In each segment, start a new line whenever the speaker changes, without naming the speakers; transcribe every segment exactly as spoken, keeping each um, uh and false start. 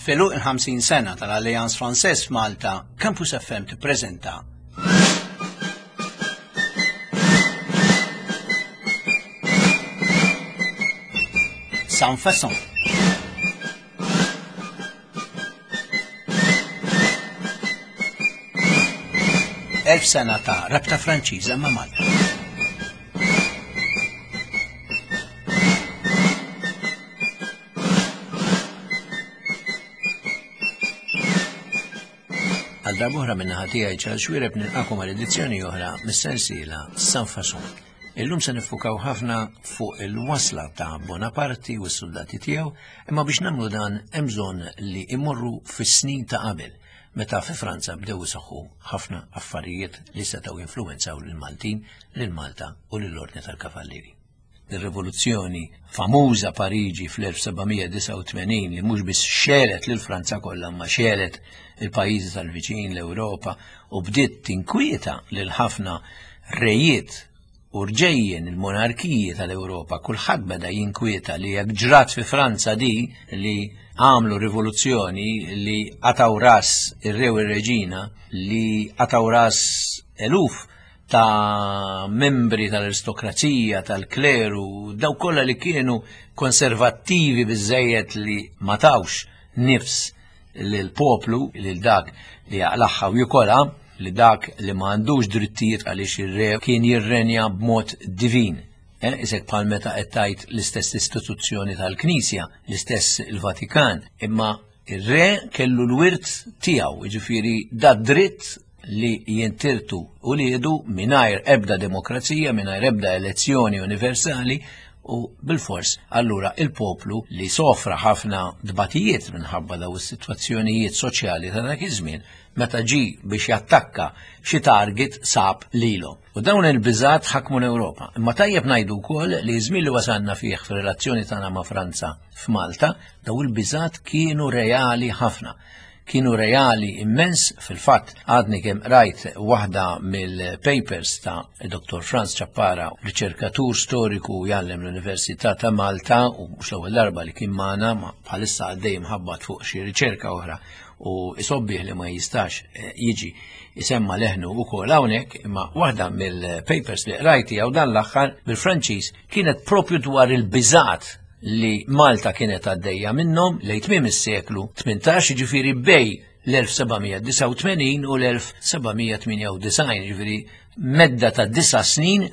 F'għeluq il-ħamsin sena tal-Alliance Française f'Malta, Campus F M tippreżenta Sans Façon. Elf sena ta' rabta Franċiża ma' Malta. Għal darb'oħra minn naħa tiegħi Charles Xuereb nilqakom għal edizzjoni oħra mis-sensiela Sans Façon. Illum se niffukaw ħafna fuq il-wasla ta' Bonaparte u s-soldati tiegħu, imma biex nagħmlu dan hemm bżonn li immorru fis-snin ta' qabel, meta fi Franza bdew isaħħu ħafna affarijiet li setgħu jinfluwenzaw lill-Maltin, lil Malta u lill-Ordni tal-Kavallieri. Ir-rivoluzzjoni famuża Pariġi fl-elf seba' mija disgħa u tmenin li mhux biss xelet lil Franza kollha imma xelet il-pajjiżi tal-viċin, l-Ewropa, u bdiet tinkwieta lil ħafna rejiet u rġejjen il-monarkiji tal-Ewropa. Kulħadd beda jinkwieta li jekk ġrat fi Franza di li għamlu rivoluzzjoni li qataw ras ir-re u r-reġina, li qataw ras eluf ta' membri tal-aristokrazija, tal-kleru, daw kollha li kienu konservattivi biżżejjed li ma tawx nifs lill-poplu, lil dak li jaqlaħħa u jikolha, li dak li ma għandux drittijiet għaliex ir-re kien jirrenja b'mod divin. Eh, isek bħal meta qed tgħid l-istess istituzzjoni tal-Knisja, l-istess il-Vatikan, imma ir-re kellu l-wirt tiegħu, jiġifieri da dritt li jintirtu u li jedu mingħajr ebda demokrazija, mingħajr ebda elezzjoni universali, u bil-fors allura il-poplu li sofra ħafna dbatijiet minħabba daw is-sitwazzjonijiet soċjali ta' dak iż-żmien, meta ġi biex jattakka xi target sab lilhom. U dawn il-biżgħat ħakmu l-Ewropa. Imma tajjeb ngħidu wkoll li żmien li wasalna fih fir-relazzjoni tagħna ma' Franza f'Malta, daw il-biżgħat kienu reali ħafna. Kienu reali immens. Fil-fatt għadni kemm rajt waħda mill-papers ta' Doktor Franz Ciappara, riċerkatur storiku jgħallem l-Università ta' Malta, u mhux l-ewwel darba li kien magħna, ma bħalissa għaddej mħabbat fuq xi riċerka oħra u isobbih li ma jistax, eh, jiġi isemma leħnu wkoll hawnhekk, imma waħda mill-papers li qrajti jew dan l-aħħar bil-Franċiż kienet propju dwar il-biżgħat li Malta kienet għaddejja minnhom lejn tmiem is-seklu tmintax, jiġifieri bej l-elf seba' mija disgħa u tmenin u l-elf seba' mija tmienja u disgħin, jiġifieri medda ta' disa' snin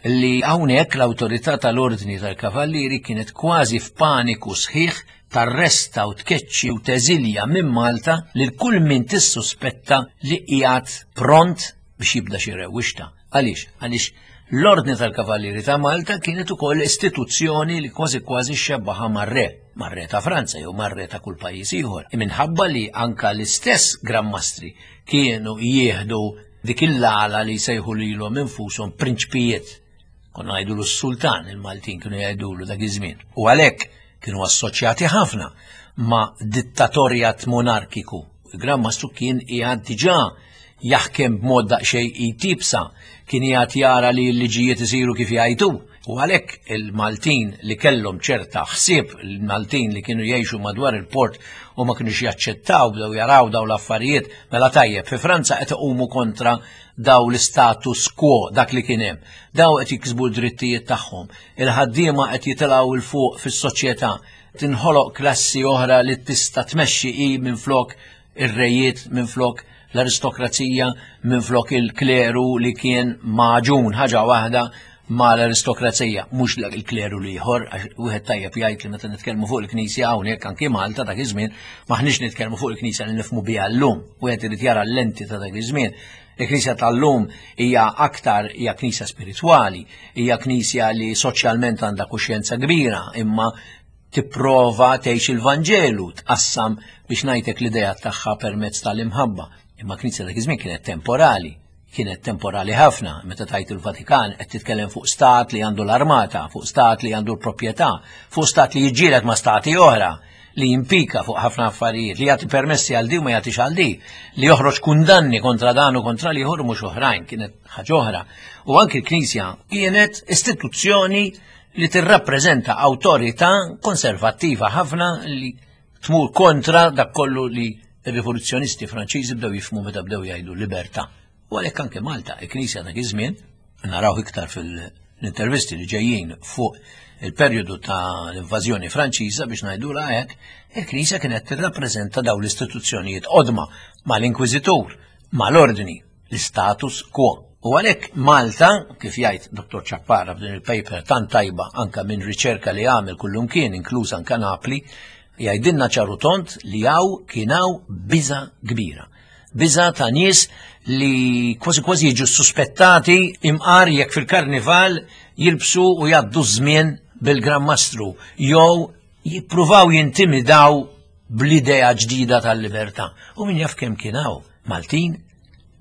li hawnhekk l-awtorità tal-Ordni tal-Kavallieri kienet kważi f'paniku sħiħ tarresta u tkeċċi u teżilja minn Malta lil kull min tissuspetta li qiegħed pront biex jibda xi rewwixta. Għaliex? Għaliex l-Ordni tal-Kavallieri ta' Malta kienet ukoll istituzzjoni li kważi kważi xebbaħa mar-re, mar-re ta' Franza jew mar-re ta' kull pajjiż ieħor. Minħabba li anka l-istess Gran Mastri kienu jieħdu dik il-għala li jsejħu lilhom infushom prinċpijiet. Konna ngħidulu s-sultan, il-Maltin kienu jgħidulu dak iż-żmien. U għalhekk kienu assoċjati ħafna ma' dittatorjat monarkiku. Il-Gran Mastru kien qiegħed diġà jaħkem b'mod daqsxejn jtibsa, kien qiegħed jara li l-liġijiet isiru kif jgħidu. U għalhekk il-Maltin li kellhom ċerta ħsieb, il-Maltin li kienu jgħixu madwar il-port u ma kinux jaċċettaw, bdew jaraw daw l-affarijiet, mela tajjeb, fi Franza qed iqumu kontra daw l-status quo, dak li kien hemm. Daw qed jiksbu d-drittijiet tagħhom. Il-ħaddiema qed jitilgħu 'l fuq fis-soċjetà. Tinħoloq klassi oħra li tista' tmexxi hi minflok ir-rejiet, minflok l-aristokrazija, minflok il-kleru li kien maġun ħaġa waħda ma l-aristokrazija, mhux il-kleru li ieħor, għax wieħed tajjeb jgħid li meta nitkellmu fuq il-Knisja hawnhekk anki Malta dak iż-żmien maħniex nitkellmu fuq il-Knisja li nifhmu biha llum. Wieħed irid jara l-lenti ta' dak iż-żmien. Il-Knisja tal-lum hija aktar hija Knisja spiritwali, hija Knisja li soċjalment għandha kuxjenza kbira, imma tipprova tgħix il-Vanġelu, tqassam biex ngħidlek l-idea tagħha permezz tal-imħabba. Imma Knisja dak iż-żmien kienet temporali, kienet temporali ħafna. Meta tajt il-Vatikan qed titkellem fuq stat li għandu l-armata, fuq stat li għandu l-proprjetà, fuq stat li jiġġieled ma' stati oħra, li jimpika fuq ħafna affarijiet, li jagħti permessi għal di u ma jagħtix għal di, li joħroġ kundanni kontra dan u kontra li ieħor mhux oħrajn, kienet ħaġa oħra. U anki l-Knisja kienet istituzzjoni li tirrappreżenta awtorità konservattiva ħafna li Tmur kontra dak kollu li r-rivoluzzjonisti Franċiżi bdew jifhmu meta bdew jgħidu libertà. U għalhekk anke Malta, il-Knisja dak iż-żmien, naraw iktar fil-intervisti li ġejjin fuq il-perjodu ta' l-invażjoni Franċiża biex ngħidulha hekk, il-Knisja kienet tirrappreżenta dawn l-istituzzjonijiet qodma mal-Inkwiżitur, mal-ordni, l-status quo. U għalhekk Malta, kif jgħid Dottor Ciappara f'din il-paper tant tajba anka minn riċerka li għamel kullumkien, inkluż anka Napli, jgħidilna ċar u tond li hawn kien hawn biża kbira. Biża ta' nies li kważi kważi jiġu suspettati imqar jekk fil-karnival jilbsu u jgħaddu żmien bil-Gran Mastru jew jippruvaw jintimidaw bl-idea ġdida tal-libertà. U min jaf kemm kien hawn Maltin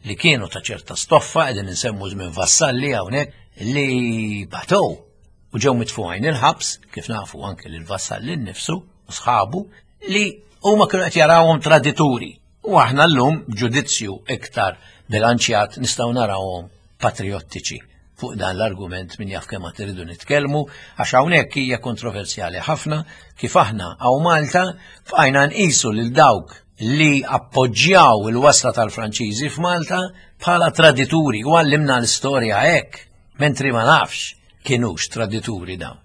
li kienu ta' ċerta stoffa, qegħdin insemmu żmien Vassalli hawnhekk, li batow u ġew mitfugħin il-ħabs, kif nafu anke lil Vassalli nnifsu u sħabu, li huma kienu qed jarawhom tradituri. U aħna llum ġudizzju iktar bilanċjat nistgħu narawhom patriottiċi. Fuq dan l-argument min jaf kemm iridu nitkellmu, għax hawnhekk hija kontroversjali ħafna kif aħna hawn Malta bqajna nqisu lil dawk li appoġġjaw il-wasla tal-Franċiżi f'Malta bħala tradituri u għallimna l-istorja hekk, mentri ma nafx kienux tradituri dawn.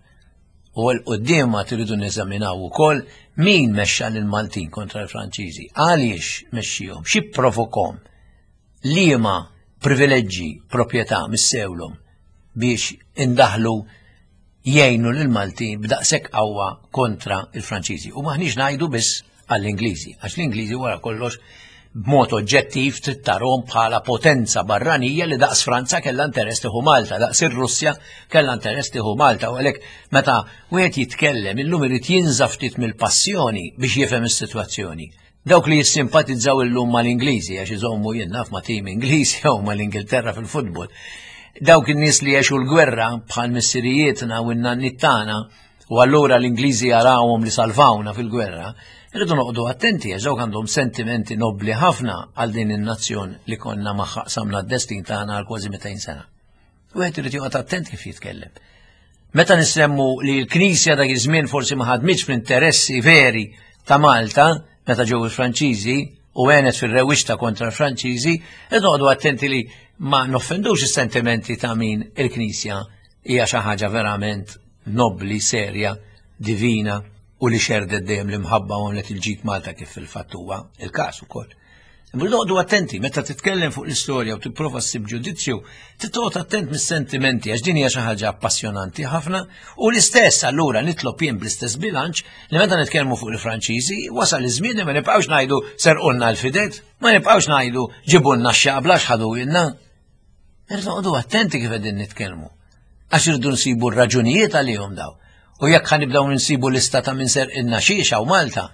U 'l quddiem ma tridu neżaminaw ukoll min mexxa lill-Maltin kontra l-Franċiżi, għaliex mexxihom, xi provokom, liema privileġġi, proprjetà missewlhom biex indaħlu jgħinu lill-Maltin b'daqshekk qawwa kontra il-Franċiżi. U maħniex ngħidu biss għall-Ingliżi, għax l-Ingliżi wara kollox b'mod oġġettiv trid tarhom bħala potenza barranija li daqs Franza kellha interess tieħu Malta, daqs ir-Russja kellha interess tieħu Malta, u għalhekk meta wieħed jitkellem illum irid jinża ftit mill-passjoni biex jifhem is-sitwazzjoni. Dawk li jissimpatizzaw illum mal-Ingliżi għax iżommu jien naf ma' tim Ingliż jew mal-Ingilterra fil-futbol. Dawk in-nies li għexu l-gwerra bħal missirijietna u n-nanniet tagħna, u allura l-Ingliżi jarawhom li salvawna fil-gwerra, irridu noqogħdu attenti għax dawk għandhom sentimenti nobli ħafna għal din in-nazzjon li konna magħha qsamna d-destin tagħna għal kważi mitejn sena. Wieħed irid joqgħod attent kif jitkellem. Meta nissemmu li l-Knisja dak iż-żmien forsi ma ħadmitx fl-interessi veri ta' Malta meta ġew il-Franċiżi u għenet fil-rewwixta kontra l-Franċiżi, irridu noqogħdu attenti li ma noffendux is-sentimenti ta' min il-Knisja hija xi ħaġa verament nobli, serja, divina u li xerdet dejjem l-imħabba u għamlet il-ġid Malta kif fil-fatt huwa il-każ ukoll. Imma noqogħdu attenti meta titkellem fuq l-istorja u tipprova ssib ġudizzju, titqgħod attent mis-sentimenti għax din hija xi ħaġa appassjonanti ħafna u l-istess allura nitlob jien bl-istess bilanċ li meta nitkellmu fuq il-Franċiżi wasal iż-żmien li ma nibqgħux ngħidu serqulna l-fidet, ma nibqgħux ngħidu ġibulna x-xaqbla x'ħadu ilna. Irridu noqogħdu attenti kif qegħdin nitkellmu. Għax irridu nsibu r-raġunijiet għalihom daw. U jekk ħanibdew nsibu lista ta' min serqilna xiex hawn Malta,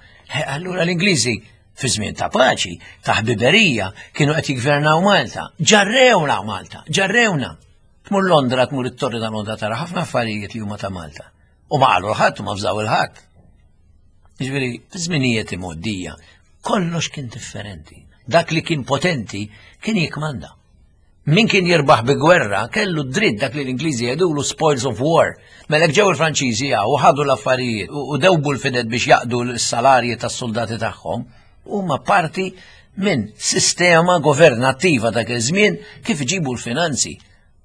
allura l-Ingliżi fi żmien ta' paċi, ta' ħbiberija, kienu qed jiggvernaw Malta. Ġarrewna Malta, ġarrewna. Tmur Londra, tmur it-Torri ta' Londra tara ħafna affarijiet li huma ta' Malta. U ma qalu l-ħadd u ma fżaw il-ħadd. Jiġifieri, fi żminijiet imgħoddija, kollox kien differenti. Dak li kien potenti kien jikmanda. Min kien jirbaħ bi gwerra kellu dritt dak li l-Ingliżi jgħidulu spoils of war. Mela ġew il-Franċiżi u ħadu l-affarijiet u dewbu l-fidet biex jaqdu l-salarji tas-soldati tagħhom, huma parti minn sistema governattiva dak iż-żmien kif iġibu l-finanzi.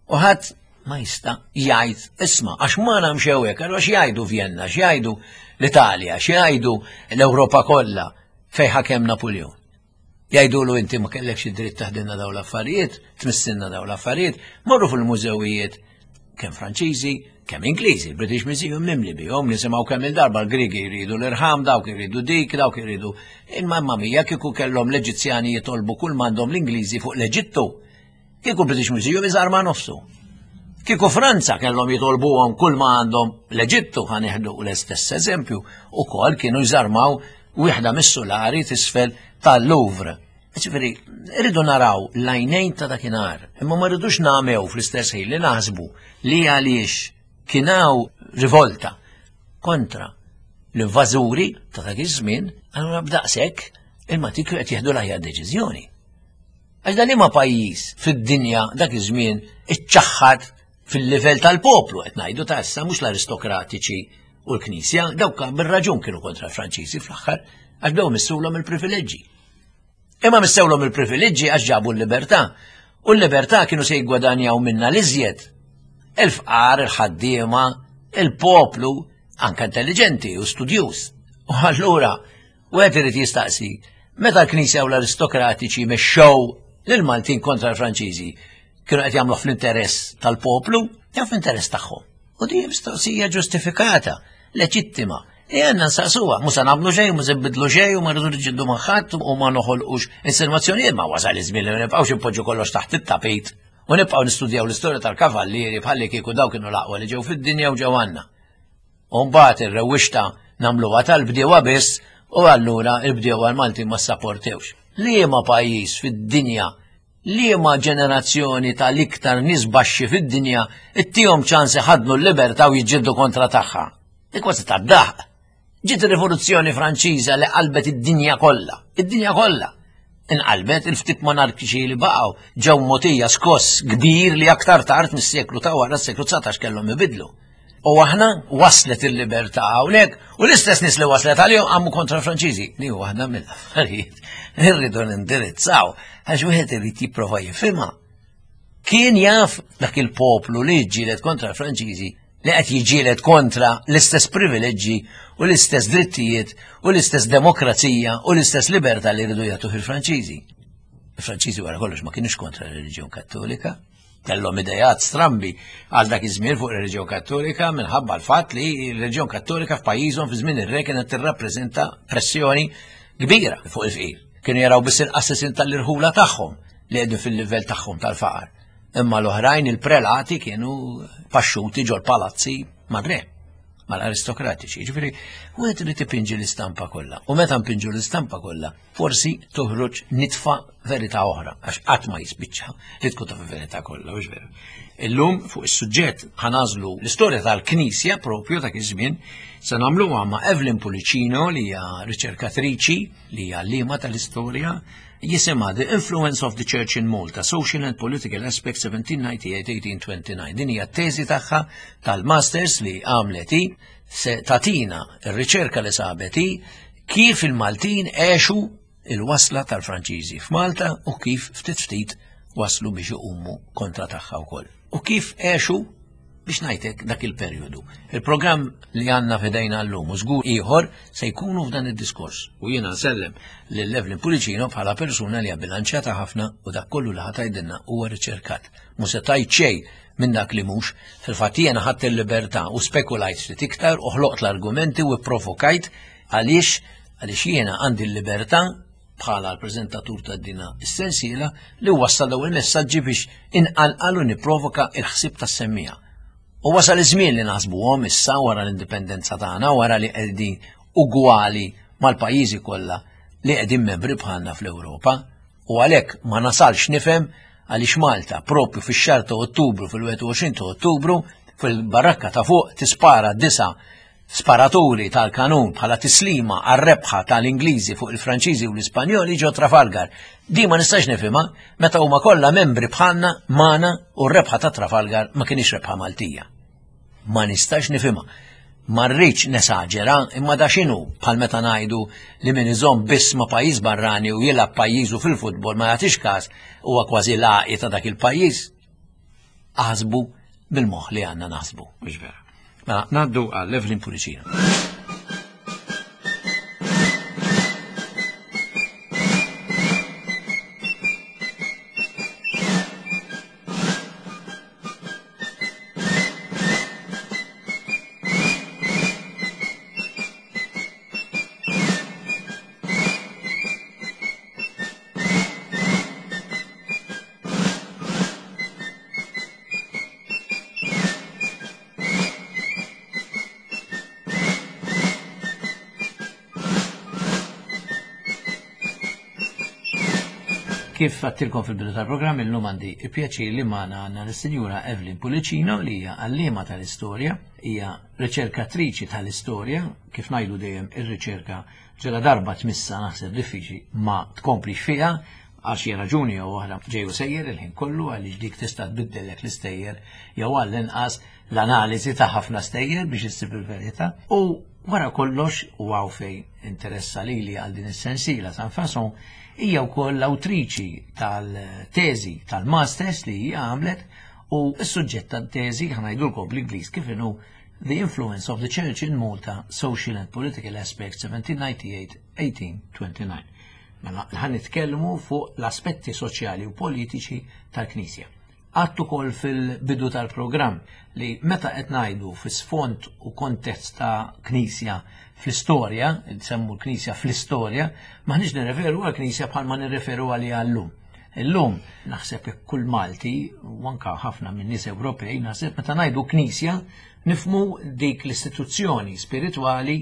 U ħadd ma jista' jgħid isma' għax ma nagħmx hekk, allura x'jgħidu Vienna, x'jgħidu l-Italja, x'jgħidu l-Ewropa kollha fejn ħakem Napoleon. Jgħidulu inti ma kellekx id-dritt taħdilna dawn l-affarijiet, tmissilna dawn l-affarijiet, morru fil-mużewijiet kemm Franċiżi, kemm Ingliżi, British Museum mimli bihom, nisimgħu kemm il-darba l-Griegi jridu l-irħam, dawk jridu dik, dawk jridu. Imma mamma mia kieku kellhom l-Eġizzjani jitolbu kull m'għandhom l-Ingliżi fuq l-Eġittu. Kieku British Museum iżarma nofsu. Kieku Franza kellhom jitolbuhom kull ma għandhom l-Eġittu, ħa nieħdu l-istess eżempju, ukoll kienu jżarmaw wieħda mis-sulari tisfel tal-Louvre. Ġifieri, rridu naraw l-għajnejn ta' dakinhar, imma ma rridux nagħmew fl-istess ħin li naħsbu li għaliex kien hawn rivolta kontra l-invażuri ta' dak iż-żmien, allura b'daqshekk il-Maltin kienu qed jieħdu l-aħjar deċiżjoni. Għax dan liema pajjiż fid-dinja dak iż-żmien iċċaħħad fil-livell tal-poplu, qed ngħidu ta' issa mhux l-aristokratiċi u l-Knisja, dawk bir-raġun kienu kontra l-Franċiżi fl-aħħar, Għax bdew missulhom il-privileġġi. Imma missewlhom il-privileġġi għax ġabu l-libertà. U l-libertà kienu se jiggwadanjaw minna l-iżjed. Il-fqar, il-ħaddiema, il-poplu, anke intelligenti u studjuż. U allura, wieħed irid jistaqsi, meta l-Knisja u l-aristokratiċi mexxew lill-Maltin kontra l-Franċiżi, kienu qed jagħmlu fl-interess tal-poplu jew fl-interess tagħhom? U din mistoqsija ġustifikata, leġittima, li għandna nsaqsuha, mhux se nagħmlu xejn, mhux se nbidlu xejn u ma rridu niġġieldu ma' ħadd u ma noħolqux insinwazzjonijiet, ma wasal iż-żmien li ma nibqgħux inpoġġu kollox taħt it-tapit u nibqgħu nistudjaw l-istorja tal-kavallieri bħalli kieku daw kienu l-aqwa li ġew fid-dinja u ġew għandna. U mbagħad ir-rewwixta nagħmluha tal-bdiewa biss u allura l-bdiewa l-Maltin ma ssaportewx. Liema pajjiż fid-dinja, liema ġenerazzjoni tal-iktar nies baxxi fid-dinja ittihom ċans iħaddnu l-libertà u jiġġieldu kontra tagħha? Dik kważi tad-daħq. Ġiet ir-Rivoluzzjoni Franċiża li qalbet id-dinja kollha, id-dinja kollha. Inqalbet, il-ftit monarkiċi li baqgħu ġew mogħtija skoss kbir li aktar tard mis-seklu ta' wara s-seklu dsatax kellhom ibidlu. U aħna waslet il-libertà hawnhekk u l-istess nies li waslet għalihom qamu kontra l-Franċiżi. Li hu waħda mill-affarijiet li rridu nindirizzaw għax wieħed irid jipprova jifhimha. Kien jaf dak il-poplu li ġġieled kontra l-Franċiżi li qed jiġġieled kontra l-istess privileġġi u l-istess drittijiet u l-istess demokrazija u l-istess libertà li rridu jagħtuh il-Franċiżi. Il-Franċiżi wara kollox ma kienux kontra r-reliġjon Kattolika, kellhom idejat strambi għal dak iż-żmien fuq ir-reliġjon Kattolika minħabba l-fatt li r-reliġjon Kattolika f'pajjiżhom fi żmien ir-re kienet tirrappreżenta pressjoni kbira fuq il-fqir. Kienu jaraw biss il-qassisin tal-irħula tagħhom li qegħdin fil-livell tagħhom tal-faqar. Imma l-oħrajn il-prelati kienu paxxuti ġol palazzi mar-re, mal-aristokratiċi. Ġifieri, wieħed irid ipinġi l-istampa kollha. U meta npinġu l-istampa kollha, forsi toħroġ nitfa verità oħra, għax qatt ma jispiċċa li tkun taf il-verità kollha, mhux veru. Illum fuq is-suġġett ħanażlu l-istorja tal-Knisja propju dak iż-żmien, se nagħmluha ma' Evelyn Pullicino li hija riċerkatriċi li hija għalliema tal-istorja, jisimha The Influence of the Church in Malta, Social and Political Aspects seventeen ninety-eight to eighteen twenty-nine. Din hija t-teżi tagħha tal-masters li għamlet hi, se tatina r-riċerka li sabet hi kif il-Maltin għexu il-wasla tal-Franċiżi f'Malta u kif ftit ftit waslu biex iqumu kontra tagħha wkoll. U kif għexu biex ngħidlek dak il-perjodu. Il-programm li għandna f'idejna llum u żgur ieħor se jkunu f'dan id-diskors. U jiena nsellem lil Evelyn Pullicino bħala persuna li hija bilanċjata ħafna u dak kollu li ħatajdilna huwa riċerkat. Mhux se tgħid xejn minn dak li mhux, fil-fatt jiena ħadt il-libertà u spekulajt ftit iktar u ħloqt l-argumenti u pprovokajt għaliex, għaliex jiena għandi l-libertà bħala l-preżentatur ta' dina is-sensiela li wassal daw il-messaġġi biex inqalqal u nipprovoka il-ħsieb tas-semmija. U wasal iż-żmien li naħsbuhom issa wara l-indipendenza tagħna, wara li qegħdin ugwali mal-pajjiżi kollha li qegħdin membri bħalna fl-Ewropa, u għalhekk ma nasalx nifhem għaliex Malta propju fix-xahar ta' Ottubru, fil-wieħed u għoxrin ta' Ottubru, fil-barrakka ta' fuq tispara disa' sparaturi tal-kanun bħala tislima għar-rebħa tal-Ingliżi fuq il-Franċiżi u l-Ispanjoli ġo Trafalgar. Di ma nistax nifhimha meta huma kollha membri bħalna magħna u r-rebħa ta' Trafalgar ma kienx rebħa Maltija. Ma nistax nifhimha. Ma rridx nesaġera, imma da x'inhu bħal meta ngħidu li min iżomm biss ma' pajjiż barrani u jilgħab pajjiżu fil-futbol ma jagħtix każ huwa kważi laqi ta' dak il-pajjiż. Aħsbu bil-moħħ li għandna naħsbu, mhux vera. Mela, ngħaddu għal Evelyn Pullicino. Kif għattilkom fil-bidu tal-programm, illum għandi il-pjaċir li magħna għandna l-Sinjura Evelyn Pullicino li hija għalliema tal-istorja, hija riċerkatriċi tal-istorja, kif ngħidu dejjem ir-riċerka ġela darba tmissa naħseb diffiċli ma tkomplix fiha għal xi raġuni jew oħra ġej u sejjer il-ħin kollu għaliex dik tista' tbiddellek l-istejjer jew għall-inqas l-analiżi ta' ħafna stejjer biex issib il-verità. U Wara kollox, u hawn fejn interessa lili għal din is-sensiela Sanfason, hija wkoll l-awtriċi tal-teżi tal-masters li hija għamlet, u s-suġġett tat-teżi, ħa ngħidulkom bl-Ingliż kif inhu: The Influence of the Church in Malta, Social and Political Aspects seventeen ninety-eight eighteen twenty-nine. Mela, ħa nitkellmu fuq l-aspetti soċjali u politiċi tal-Knisja. Għedtu ukoll fil-bidu tal-programm li meta qed ngħidu fi sfond u kontest ta' Knisja fl-istorja, nsemmu l-Knisja fl-istorja, maħniex nirreferu għal-Knisja bħalma nirreferu għaliha llum. Illum naħseb kull Malti u anka ħafna minn nies Ewropej, naħseb meta ngħidu Knisja nifhmu dik l-istituzzjoni spiritwali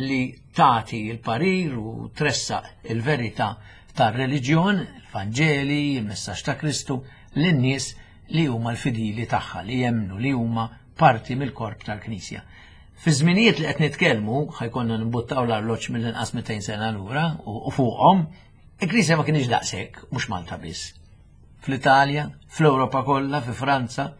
li tagħti il-parir u tressaq il-verità tar-reliġjon, il-Vanġeli, il-messaġġ ta' Kristu lin-nies li huma l-fidili tagħha, li jemmnu li huma parti mill-korp tal-Knisja. Fi żminijiet li qed nitkellmu, ħa jkollna nimbuttaw l-arloġġ mill-inqas mitejn sena lura u fuqhom, il-Knisja ma kienx daqshekk, mhux Malta biss. Fl-Italja, fl-Ewropa kollha, fi Franza,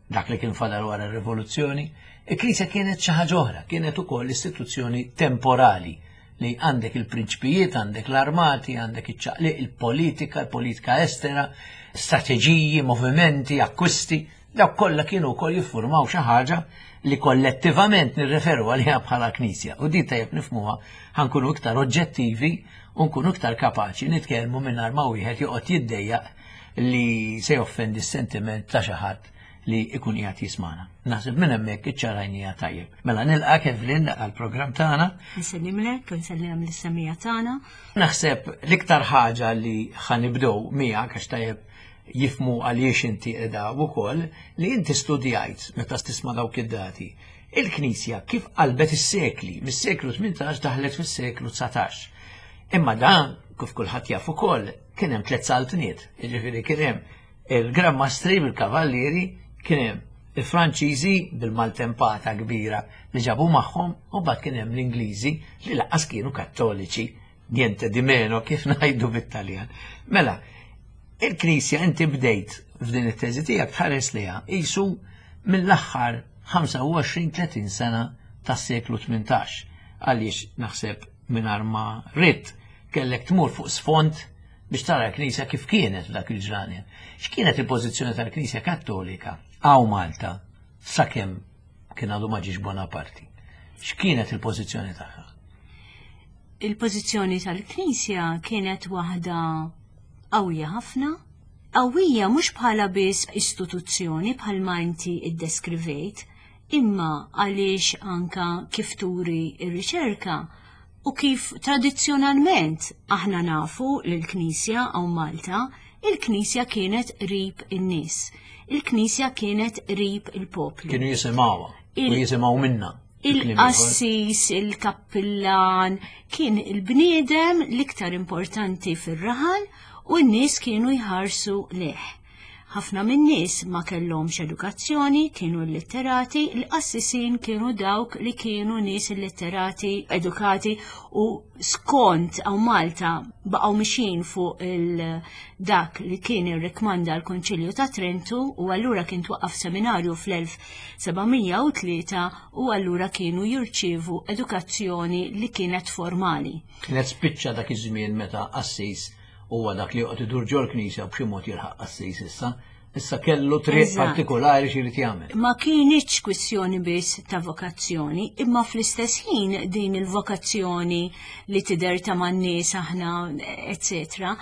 dak li kien fadal wara r-rivoluzzjoni, il-Knisja kienet xi ħaġa oħra, kienet ukoll istituzzjoni temporali li għandek il-prinċpijiet, għandek l-armati, għandek iċ-ċaqliq, il-politika, il-politika estera, strateġiji, movimenti, akkwisti, dawk kollha kienu wkoll jiffurmaw xi ħaġa li kollettivament nirreferu għaliha bħala Knisja. U di tajjeb nifhmuha, ħa nkunu iktar oġġettivi u nkunu iktar kapaċi nitkellmu mingħajr ma wieħed joqgħod jiddejjaq li se joffendi s-sentiment ta' xi ħadd li ikun qiegħed jismana. Naħseb minn hemmhekk iċċarajnija tajjeb. Mela nilqak, Evelyn, għall-programm tagħna.
Nsellimlek, nsellim lis-semmiegħa tagħna.
Naħseb l-iktar ħaġa li ħa nibdew miegħek, għax tajjeb jifhmu għaliex inti qiegħda wkoll, li inti studjajt meta tisma' dawk id-dati. Il-Knisja kif qalbet is-sekli, mis-seklu tmintax daħlet fis-seklu dsatax. Imma dan, kif kulħadd jaf ukoll, kien hemm tliet saltniet, jiġifieri kien hemm il-Gran Mastri bil-Kavallieri, kien hemm il-Franċiżi bil-maltempata kbira li ġabu magħhom, u mbagħad kien hemm l-Ingliżi li lanqas kienu Kattoliċi, niente di meno, kif ngħidu bit-Taljan. Mela, il-Knisja inti bdejt f'din it-teżi tiegħek tħares liha qisu mill-aħħar ħamsa u għoxrin tletin sena tas-seklu tmintax. Għaliex naħseb mingħajr ma ridt kellek tmur fuq sfond biex tara l-Knisja kif kienet f'dak il-ġranet. X'kienet il-pożizzjoni tal-Knisja Kattolika hawn Malta sakemm kien għadu ma ġiex Bonaparte? X'kienet il-pożizzjoni tagħha?
Il-pożizzjoni tal-Knisja kienet waħda qawwija ħafna, qawwija mhux bħala biss istituzzjoni bħalma inti iddeskrivejt, imma għaliex anka kif turi ir-riċerka u kif tradizzjonalment aħna nafu l-Knisja hawn Malta, il-Knisja kienet qrib in-nies. Il-Knisja kienet qrib il-poplu.
Kienu jisimgħuha u
Il-
jisimgħu minna.
Il-qassis, il-kappillan, kien il-bniedem l-iktar importanti fir-raħal u n-nies kienu jħarsu lejh. Ħafna min-nies ma kellhomx edukazzjoni, kienu illitterati, il-qassisin kienu dawk li kienu nies illitterati, edukati, u skont hawn Malta baqgħu mixin fuq il dak li kien irrikmanda l-Konċilju ta' Trentu, u allura kien twaqqaf seminarju fl-elf seba' mija u tlieta u allura kienu jirċievu edukazzjoni li kienet formali.
Kienet spiċċa dak iż-żmien meta qassis huwa dak li joqgħod idur ġol knisja u b'xi mod jilħaq qassis issa. Issa kellu triq
Eżatt.
partikolari x'irid jagħmel.
Ma kienitx kwistjoni biss ta' vokazzjoni, imma fl-istess ħin din il-vokazzjoni li tidher ta' man-nies aħna, eccetera.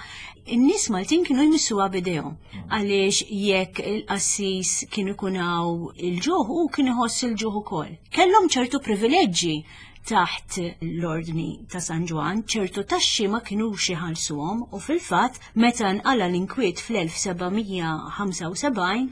In-nies Maltin kienu jmissuha b'idejhom, għaliex jekk il-qassis kien ikun hawn il-ġuħ, u kien iħoss il-ġuħ ukoll. Kellhom ċertu privileġġi taħt l-Ordni ta' San Ġwann, ċertu taxxi ma kinux iħallsuhom, u fil-fatt meta nqala l-inkwiet fl-elf seba' mija ħamsa u sebgħin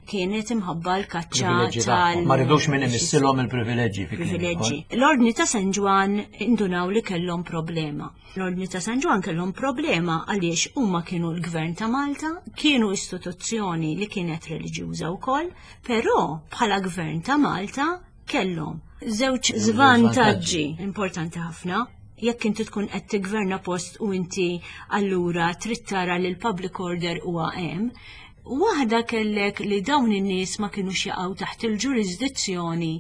kienet imħabba l-kaċċa
Privileġġi
tal
tagħhom. Ma ridux min imissilhom il-privileġġi fi kliem
privileġġi.
ieħor.
L-Ordni ta' San Ġwann indunaw li kellhom problema. L-Ordni ta' San Ġwann kellhom problema għaliex huma kienu l-Gvern ta' Malta, kienu istituzzjoni li kienet reliġjuża wkoll, però bħala Gvern ta' Malta kellhom żewġ żvantaġġi importanti ħafna. Jekk inti tkun qed tigverna post u inti allura trid tara li l-public order huwa hemm, Waħda kellek li dawn in-nies ma kinux jaqgħu taħt il-ġurisdizzjoni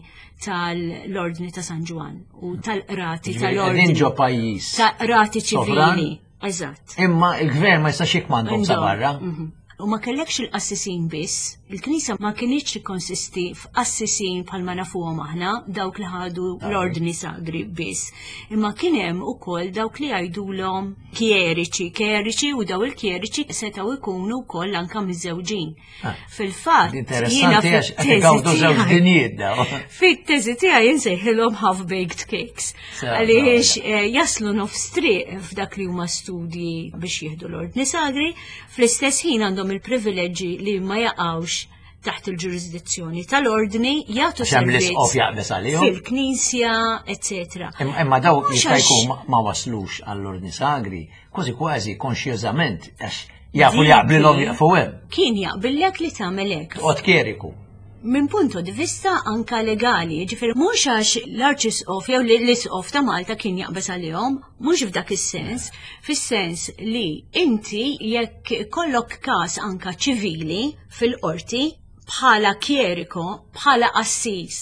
tal-Ordni ta' San Ġwann u tal-qrati tal-Ordni.
Qegħdin ġo pajjiż.
Ta' qrati ċivili. Eżatt.
Imma il-gvern ma jistax jikmandhom sa barra.
Mhm. U ma kellekx il-qassisin biss, il-Knisja ma kinitx tikkonsisti f'qassisin bħalma nafuhom aħna, dawk li ħadu l-ordni sagri biss. Imma kien hemm ukoll dawk li jgħidulhom kjeriċi, kjeriċi u daw il-kjeriċi setgħu jkunu wkoll anke miżżewġin.
Ah.
Fil-fatt, jiena
Interessanti għax qed igawdu żewġ dinjiet daw.
Fit-teżi tiegħi insejħilhom half-baked cakes.
Sew,
Għaliex eh, jaslu nofs triq f'dak li huma studji biex jieħdu l-ordni sagri, fl-istess ħin għandhom il-privileġġi li ma jaqgħux taħt il-ġurisdizzjoni tal-ordni, jagħtu
Għax hemm
servizz
l-isqof jaqbeż għalihom.
fil-knisja, eccetera.
Imma imma daw
Mhux
jista'
għax-
jkun ma- ma waslux għall-ordni sagri, kważi kważi konxjożament għax jafu li
Dik-
jaqblilhom jaqfu hemm.
Kien jaqbillek li tagħmel hekk.
Toqgħod kjeriku.
Minn punto di vista anka legali, ġifieri mhux għax l-Arċisqof jew l-Isqof ta' Malta kien jaqbeż għalihom, mhux f'dak is-sens, fis-sens li inti jekk kollok każ anka ċivili fil-qorti bħala kjeriko, bħala qassis,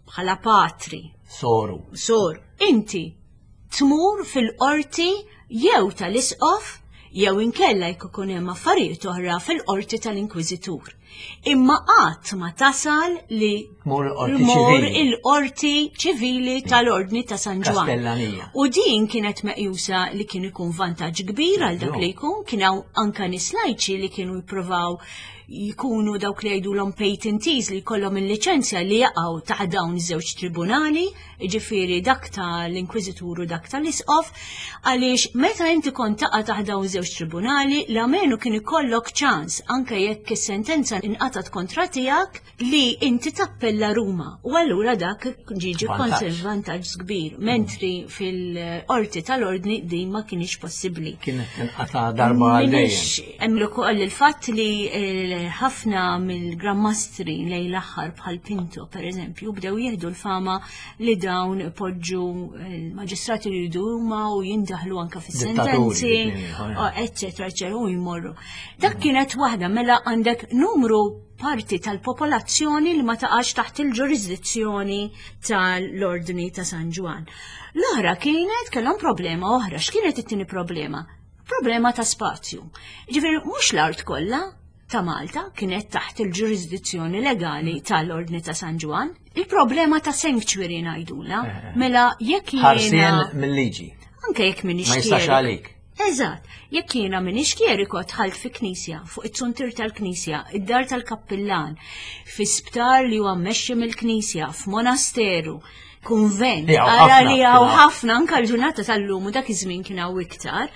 bħala patri,
Soru.
sor, inti tmur fil-qorti jew tal-isqof jew inkella jekk ikun hemm affarijiet oħra fil-qorti tal-Inkwiżitur. Imma qatt ma tasal li
Tmur il-qorti
tmur
ċivili.
il-qorti ċivili tal-Ordni ta' San Ġwann.
Kastellanija.
U din kienet meqjusa li kien ikun vantaġġ kbir għal dak li jkun, kien hawn anka nies lajċi li kienu jippruvaw jkunu dawk li jgħidulhom patentees li jkollhom il-liċenzja li jaqgħu taħt dawn iż-żewġ tribunali, jiġifieri dak tal-Inkwiżitur u dak tal-Isqof, għaliex meta inti kont taqa' taħt dawn iż-żewġ tribunali, l-amenu kien ikollok ċans anke jekk is-sentenza inqatat kontra tiegħek li inti tappella Ruma. U allura dak ġiġi
Vantaġġ.
vantaġġ kbir, mentri fil-qorti tal-ordni din ma kienx possibbli.
Kienet tinqata' darba għal dejjem.
Minix hemm ukoll il-fatt li eh, ħafna mill-grammastri lejn l-aħħar bħal Pinto per eżempju bdew jieħdu l-fama li dawn poġġu l-maġistrati li jridu huma u jindaħlu anka fis-sentenzi,
Dittaturi, ieħor,
oh, eccetera, eccetera, u jmorru. Dak kienet waħda mela għandek numru parti tal-popolazzjoni li ma taqax taħt il-ġurisdizzjoni tal-Ordni ta' San Ġwann. L-oħra kienet kellhom problema oħra. X'kienet it-tieni problema? Problema ta' spazju. Ġifieri mhux l-art kollha ta' Malta kienet taħt il-ġurisdizzjoni legali tal-Ordni ta' San Ġwann. Il-problema ta' sanctuary ngħidula. Mela jekk jiena
Ħarsien mill-liġi.
anke jekk minix
Ma jistax
kjeriku.
għalik.
Eżatt, jekk jiena minix kjeriko dħalt fi knisja, fuq it-suntir tal-knisja, id-dar tal-kappillan, fi sptar li huwa mmexxi mill-knisja, f'monasteru, kunvent,
Li hawn
ara
ħafna,
li hawn
kien hawn.
ħafna anke l-ġurnata tal-lum u dak iż-żmien kien hawn iktar,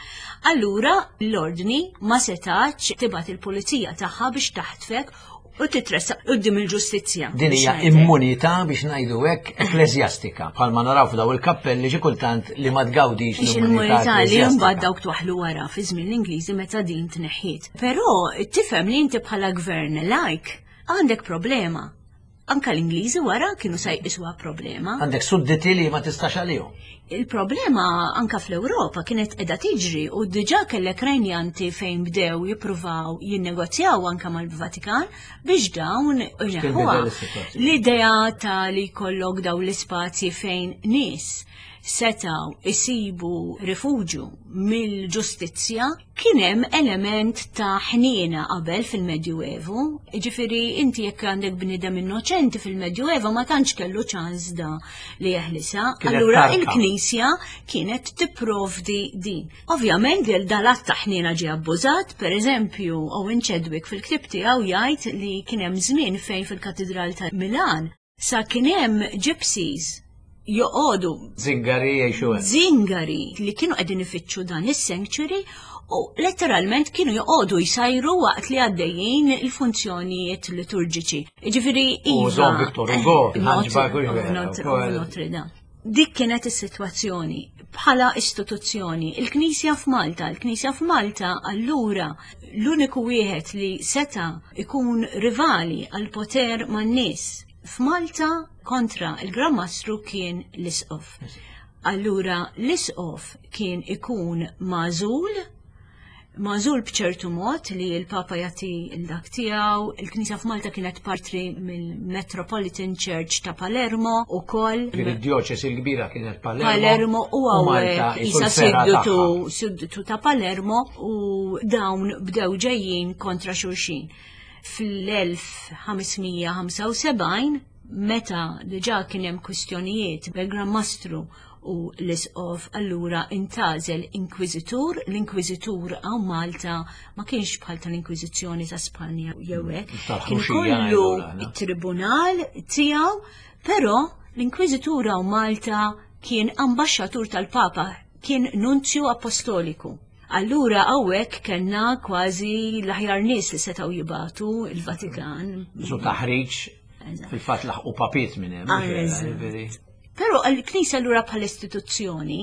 allura l-ordni ma setax tibgħat il-pulizija tagħha biex taħtfek u titressaq quddiem il-ġustizzja.
Din
biex
hija
ngħidlek.
immunità biex ngħidu hekk ekkleżjastika, bħalma naraw f'daw il-kappelli xi kultant li ma tgawdix
Biex
l-immunità
il-immunità li mbagħad
ekkleżjastika.
dawk twaħlu wara fi żmien l-Ingliżi meta din tneħħiet. Però tifhem li inti bħala gvern lajk għandek problema. Anka l-Ingliżi wara kienu sa jqisuha problema.
Għandek sudditi li ma tistax għalihom.
Il-problema anka fl-Ewropa kienet qiegħda tiġri u diġà kellek renjanti fejn bdew jippruvaw jinnegozjaw anka mal-Vatikan biex dawn ineħħuha.
bidel is-sitwazzjoni.
L-idea ta' li jkollok daw l-ispazji fejn nies setaw isibu rifuġju mill-ġustizzja kien hemm element ta' ħniena qabel fil-Medjuevu. Ġifieri inti jekk għandek bniedem innoċenti fil-Medjuevu ma tantx kellu ċans da li jeħlisa.
Kienet
Allura
tarka.
il-Knisja kienet tipprovdi din. Ovvjament il dal-att ta' ħniena ġie abbużat, per eżempju, Owen Chadwick fil-ktib tiegħu jgħid li kien hemm żmien fejn fil-Katedral ta' Milan sa kien hemm gypsies joqogħdu
Zingari jgħixu hemm.
zingari li kienu qegħdin ifittxu dan is-sanctuary u letteralment kienu joqogħdu jsajru waqt li għaddejjin il-funzjonijiet liturġiċi. Ġifieri
U
iva.
Don Victor Hugo,
Not-
Hunchback u x'vera,
Notre-
ukoll.
Notre Dame. Dik kienet is-sitwazzjoni bħala istituzzjoni. Il-Knisja f'Malta, il-Knisja f'Malta allura l-uniku wieħed li seta ikun rivali għal poter man-nies f'Malta kontra il-Gran Mastru kien l-Isqof. Allura l-Isqof kien ikun magħżul magħżul b'ċertu mod li l-Papa jagħti l-dak tiegħu, il-Knisja f'Malta kienet parti mill-Metropolitan Church ta' Palermo ukoll.
Id-djoċesi l-kbira kienet Palermo.
Palermo u hawnhekk isa siddutu siddutu ta' Palermo u dawn bdew ġejjin kontra xulxin. Fl-elf ħames mija ħamsa u sebgħin, meta diġà kien hemm kwistjonijiet bil-Gran Mastru u l-Isqof, allura intażel inkwiżitur. L-inkwiżitur hawn Malta ma kienx bħal tal-Inkwiżizzjoni ta' Spanja jew hekk.
Tal-ħruxija
Kien kollu
jgħidu l-aħna.
it-tribunal tiegħu, però l-inkwiżitur hawn Malta kien ambaxxatur tal-Papa, kien nunzju apostoliku. Allura hawnhekk kellna kważi l-aħjar nies li setgħu jibatu il-Vatikan.
Su taħriġ
Eżatt.
fil-fatt laħqu papiet minn hemm, mhux vera,
Eżatt.
jiġifieri.
Però l-Knisja allura bħal istituzzjoni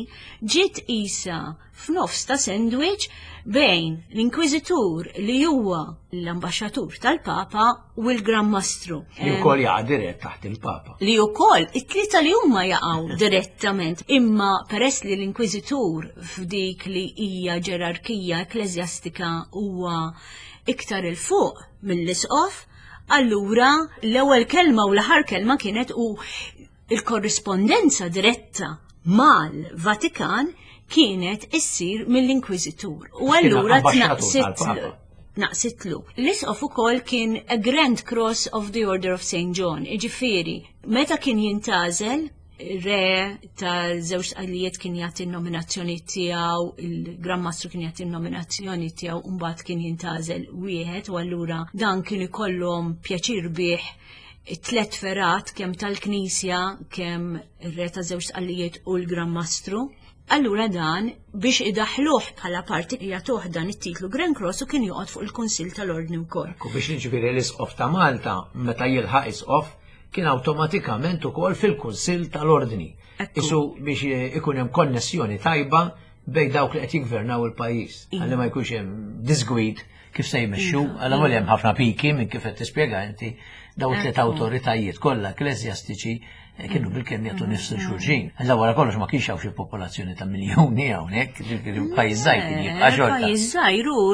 ġiet isa f'nofs ta' sandwich bejn l-Inkwiżitur li huwa l-ambaxxatur tal-Papa u l-Gran Mastru.
Li wkoll jaqa' dirett taħt il-Papa.
Li wkoll it-tlieta li huma jaqgħu direttament, imma peress li l-Inkwiżitur f'dik li hija ġerarkija ekkleżjastika huwa iktar il fuq mill-Isqof, allura l-ewwel kelma u l-aħħar kelma kienet u il-korrispondenza diretta mal-Vatikan kienet issir mill-Inkwiżitur. U
Kien
allura
ambaxxatur
tnaqsit
tal-Papa.
naqsitlu. L-Isqof ukoll kien a Grand Cross of the Order of Saint John, jiġifieri, meta kien jintażel, re ta' żewġ tqallijiet kien jagħti n-nominazzjoni tiegħu, il-Gran Mastru kien jagħti n-nominazzjoni tiegħu, u mbagħad kien jintażel wieħed, u allura dan kien ikollhom pjaċir bih it-tlet ferat kemm tal-Knisja, kemm ir-re ta' żewġ tqallijiet u l-Gran Mastru. Allura dan biex idaħluh bħala parti jagħtuh dan it-titlu Grand Cross u kien joqgħod fuq il-Kunsill tal-Ordni wkoll.
U biex jiġifieri l-Isqof ta' Malta meta jilħaq Isqof kien awtomatikament ukoll fil-Kunsill tal-Ordni.
Ekku.
Isu biex ikun hemm konnessjoni tajba bejn dawk li qed jiggvernaw il-pajjiż.
Iva.
Ħalli ma jkunx hemm disgwid kif se jmexxu,
Iva.
għal għamel hemm ħafna piki minn kif qed tispjega inti daw tliet
Ekku.
awtoritajiet kollha ekkleżjastiċi kienu bil-kemm jagħtu nifs xulxin. Alla wara kollox ma kienx hawn xi popolazzjoni ta' miljuni hawnhekk, ġifieri pajjiż żgħir kien jibqa' xorta.
Pajjiż żgħir u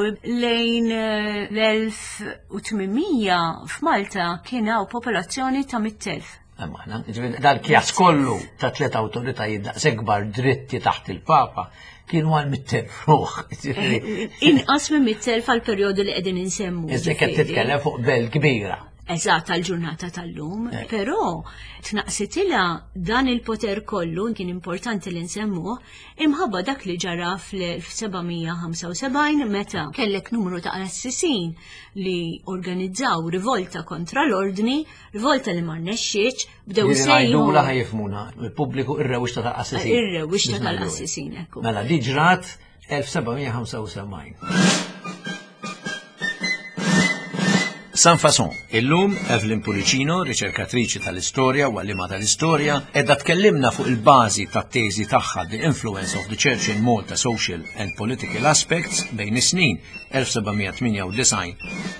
lejn, eh, l-elf u tmien mija f'Malta kien hawn popolazzjoni ta' mitt elf.
Imma aħna, ġifieri dal-kjas kollu ta' tliet awtoritajiet daqshekk kbar dritti taħt il-Papa kienu għal mitt elf ruħ. Ġifieri,
Inqas minn mitt elf għal perjodu li qegħdin insemmu.
Iżda qed
ġifieri.
titkellem fuq belt kbira.
Eżatt, għal-ġurnata tal-lum,
Eh.
però tnaqsitilha dan il-poter kollu, kien importanti li nsemmuh, imħabba dak li ġara fl-elf seba' mija ħamsa u sebgħin meta kellek numru ta' qassisin li organizzaw rivolta kontra l-ordni, rivolta li ma rnexxietx, bdew
Jiġifieri ngħidula
sejħu
ħajfmuna, il-pubbliku ir-rewwixta tal-qassisin.
Ir-rewwixta
Biex ngħidu hekk.
tal-qassisin, ekku.
Mela, di ġrat elf seba' mija ħamsa u sebgħin. Sans Façon, illum Evelyn Pullicino, riċerkatriċi tal-istorja u għallima tal-istorja, edha tkellimna fuq il-bażi tat-teżi tagħha The Influence of the Church in Malta Social and Political Aspects bejn is-snin elf seba' mija tmienja u disgħin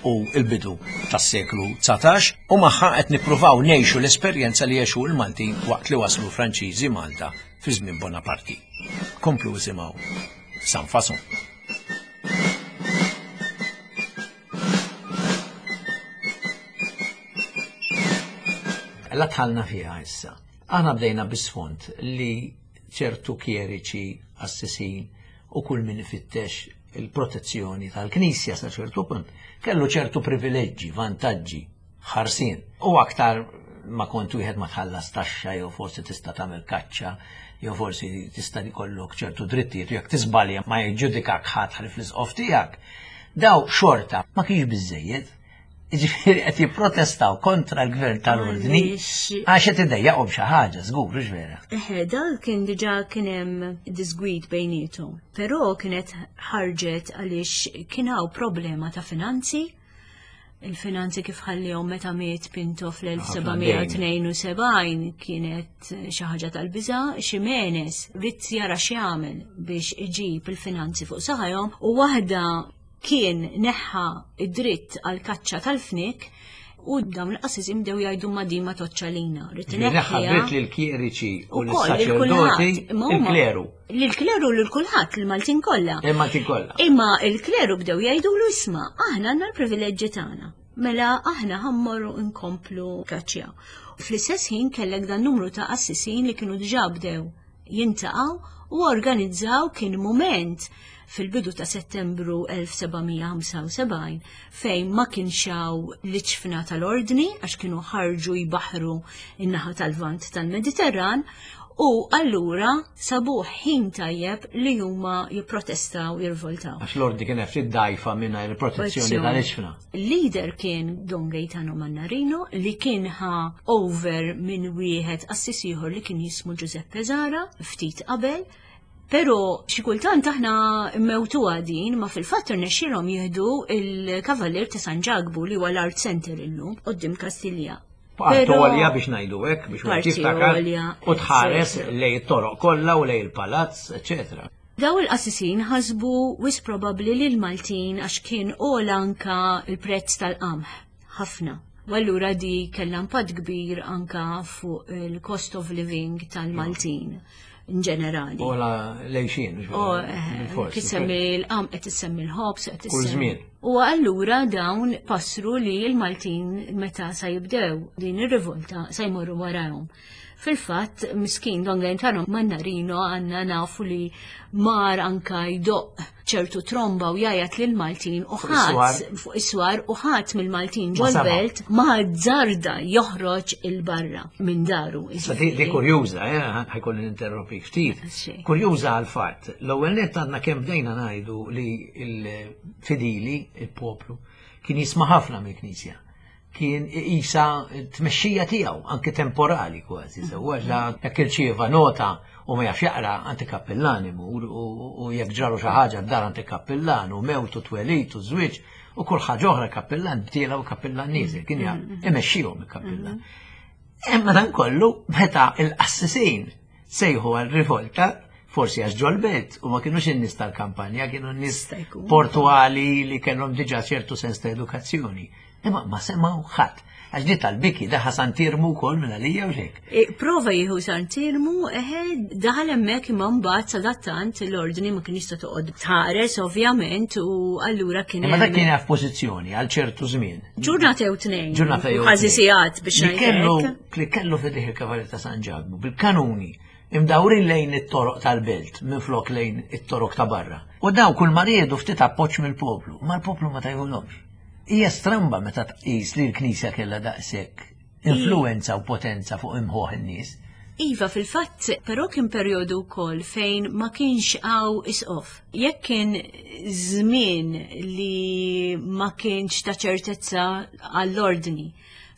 u l-bidu tas-seklu dsatax, u magħha qed nippruvaw ngħixu l-esperjenza li għexu l-Maltin waqt li waslu Franċiżi Malta fi żmien Bonaparte. Komplu isimgħu Sans Façon. La tħallna fiha issa. Aħna bdejna bisfond li ċertu kjeriċi, assisin u kull min ifittex il-protezzjoni tal-Knisja sa ċertu punt kellu ċertu privileġġi, vantaġġi, ħarsien. U aktar ma kont wieħed ma tħallas taxxa jew forsi tista' tagħmel kaċċa jew forsi tista' jkollok ċertu drittijiet u jekk tiżbalja ma jiġġudikak ħadd ħalif l-isqof tiegħek. Daw xorta ma kienx biżejjed. Jiġifieri qed jipprotestaw kontra l-gvern tal-ordni
Għaliex
għax qed idejjaqhom xi ħaġa, żgur, mhux vera.
Eħe, dal kien diġà kien hemm disgwid bejniethom, però kienet ħarġet għaliex kien hawn problema ta' finanzi. Il-finanzi kif ħallihom meta miet Pinto fl-elf seba' mija tnejn u sebgħin kienet xi ħaġa tal-biża', Ximenes ried jara x'jagħmel biex iġib il-finanzi fuq saħajhom u waħda kien neħħa id-dritt għal kaċċa tal-fnik U dawn il-qassisin bdew jgħidu ma din ma toċċalina. Rrid
Ħabbret lill-kjeriċi u l-saċerdoti, il-kleru.
Lill-kleru lil kulħadd, il-Maltin kollha.
Il-Maltin kollha.
Imma il-kleru bdew jgħidu lu isma' aħna għandna l-privileġġi tagħna. Mela aħna ħa mmorru nkomplu kaċċja. Fl-istess ħin kellek dan numru ta' qassisin li kienu diġà bdew jintaqgħu u organizzaw. Kien moment fil-bidu ta' Settembru elf seba' mija ħamsa u sebgħin fejn ma kienx hawn l-iġfna tal-ordni għax kienu ħarġu jbaħru in-naħa tal-vant tal-Mediterran u allura sabuh ħin tajjeb li huma jipprotestaw, jirvoltaw.
Għax l-ordni kien ftit dajfa minna il-protezzjoni tal-iġfna.
Leader kien Don Gaetano Mannarino li kien ħa over minn wieħed qassis ieħor li kien jismu Giuseppe Zara ftit qabel. Pero xi kultant aħna mmewtuha din, ma fil-fatt irnexxielhom jieħdu il-Kavallier ta' San Ġakbu li huwa l-Art Center illum quddiem Kastilja.
Parti għolja biex ngħidu hekk, biex wieħed jiftakar u tħares lejn it-toroq kollha u lejn il-palazz, eċetera.
Daw il-qassisin ħasbu wisq probabbli li l-Maltin għax kien għola anka il-prezz tal-qamħ ħafna. U allura di kellha impatt kbir anka fuq il-cost of living tal-Maltin in ġenerali.
Għola l-għajxien.
U tissemmi l-qamħ, qed tissemmi l-ħobż, qed
Kull żmien.
U allura dawn passru li l-Maltin meta sa jibdew din ir-rivolta sa jmorru warahom. Fil-fatt, miskin Don Gaetano Mannarino għanna nafu li mar anka jdoq ċertu tromba u jgħajjat lil Maltin u ħadd fuq is-swar u ħadd mill-Maltin ġol-belt ma azzarda joħroġ il-barra minn daru.
Sa di kurjuża, eh, ħa jkolli ninterrompi ftit. Kurjuża għal-fatt, l-ewwel nett għandna kemm bdejna ngħidu li l-fidili, il-poplu, kien jisma' ħafna mill-Knisja, kien isa tmexxija tiegħu anke temporali kważi, sewwa la jekk irċieva nota u ma jafx jaqra, għand il-kappillan imur, u jekk ġralu xi ħaġa d-dar għand il-kappillan, u mewt u twelid u żwieġ u kull ħaġa oħra, kappillan tiela' u kappillan nieżel, kien imexxihom il-kappillan. Imma dan kollu meta il-qassisin sejħu għal rivolta, forsi għax ġol-belt u ma kienux in-nies tal-kampanja, kienu n-nies portuali li kellhom diġà ċertu sens ta' edukazzjoni. Imma ma semgħu ħadd. Għax di tal-biki daħal Sant'Iermu wkoll minn għalija u xek.
E, prova jieħu Sant'Iermu, eħe, daħal hemmhekk, imma mbagħad sadattant l-ordni ma kien jista' toqgħod tħares ovvjament u allura kien
Imma dak kien f'pożizzjoni għal ċertu żmien.
Ġurnata jew tnejn.
Ġurnata jew
Kważi sigħat biex
Li kellu li kellu f'idejh il-Kavallier ta' San Ġakbu bil-kanuni imdawrin lejn it-toroq tal-belt minn flok lejn it-toroq ta' barra. U daw kull ma riedu ftit appoġġ mill-poplu, ma l-poplu ma tajhulhomx. Hija stramba meta tqis li l-Knisja kellha daqshekk influenza u potenza fuq imħuħ in-nies.
Iva, fil-fatt, però kien perjodu wkoll fejn ma kienx hawn isqof. Jekk kien żmien li ma kienx ta' ċertezza għall-ordni,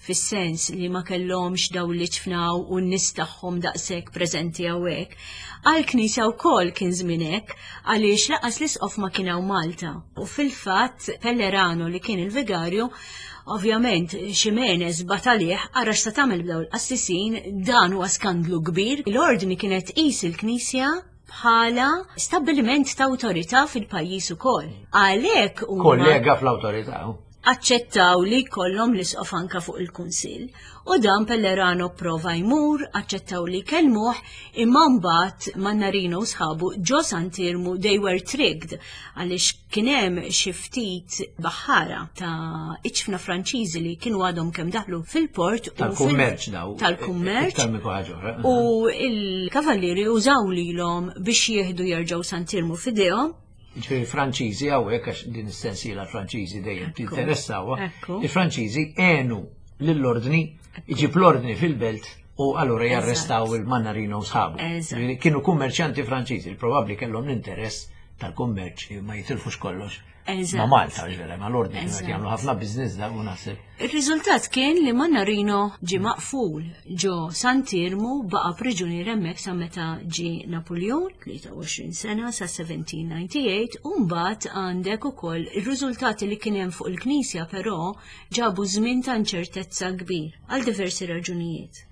fis-sens li ma kellhomx daw li ċfnaw u n-nies tagħhom daqshekk preżenti hawnhekk. Għall-Knisja wkoll kien żmien hekk għaliex lanqas l-isqof ma kien hawn Malta. U fil-fatt Pellerano li kien il-vigarju, ovvjament Ximenes batalih ara x'sa tagħmel b'daw il-qassisin, dan huwa skandlu kbir. L-ordni kienet qis il-Knisja bħala stabbiliment ta' awtorità fil-pajjiż ukoll. Għalhekk
huma Kollega fl-awtorità.
Aċċettaw li jkollhom l-isqof anka fuq il-kunsill. U dan Pellerano prova jmur, aċċettaw li kellmuh, imma mbagħad Mannarino u sħabu ġo Sant'Iermu they were tricked għaliex kien hemm xi ftit baħħara ta' iġfna Franċiżi li kienu għadhom kemm daħlu fil-port u fil-
Tal-kummerċ daw.
Tal-kummerċ.
Iktar minn ħaġa oħra.
U il-kavallieri użaw lilhom biex jieħdu jerġgħu Sant'Iermu f'idejhom.
Ġifieri Franċiżi hawnhekk, għax din is-sensiela Franċiżi dejjem tinteressawa.
Ekku.
Il-Franċiżi għenu lill-ordni, iġib l-ordni fil-belt u allura jarrestaw il-Mannarino u sħabu.
Eżatt.
Ġifieri kienu kummerċanti Franċiżi, probabbli kellhom l-interess tal-kummerċ li ma jitilfux kollox.
Eżatt.
Ma' Malta, ġifieri, ma' l-ordni kienu qed
Eżatt.
jagħmlu ħafna biznis da u naħseb.
Il-riżultat kien li Mannarino ġi maqful ġo Sant'Iermu, baqa priġunier hemmhekk sa meta ġi Napoleon, tlieta u għoxrin sena, sa elf seba' mija disgħa u tmenin, u mbagħad għandek ukoll ir-riżultati li kien hemm fuq il-Knisja, però ġabu żmien ta' inċertezza kbir għal diversi raġunijiet.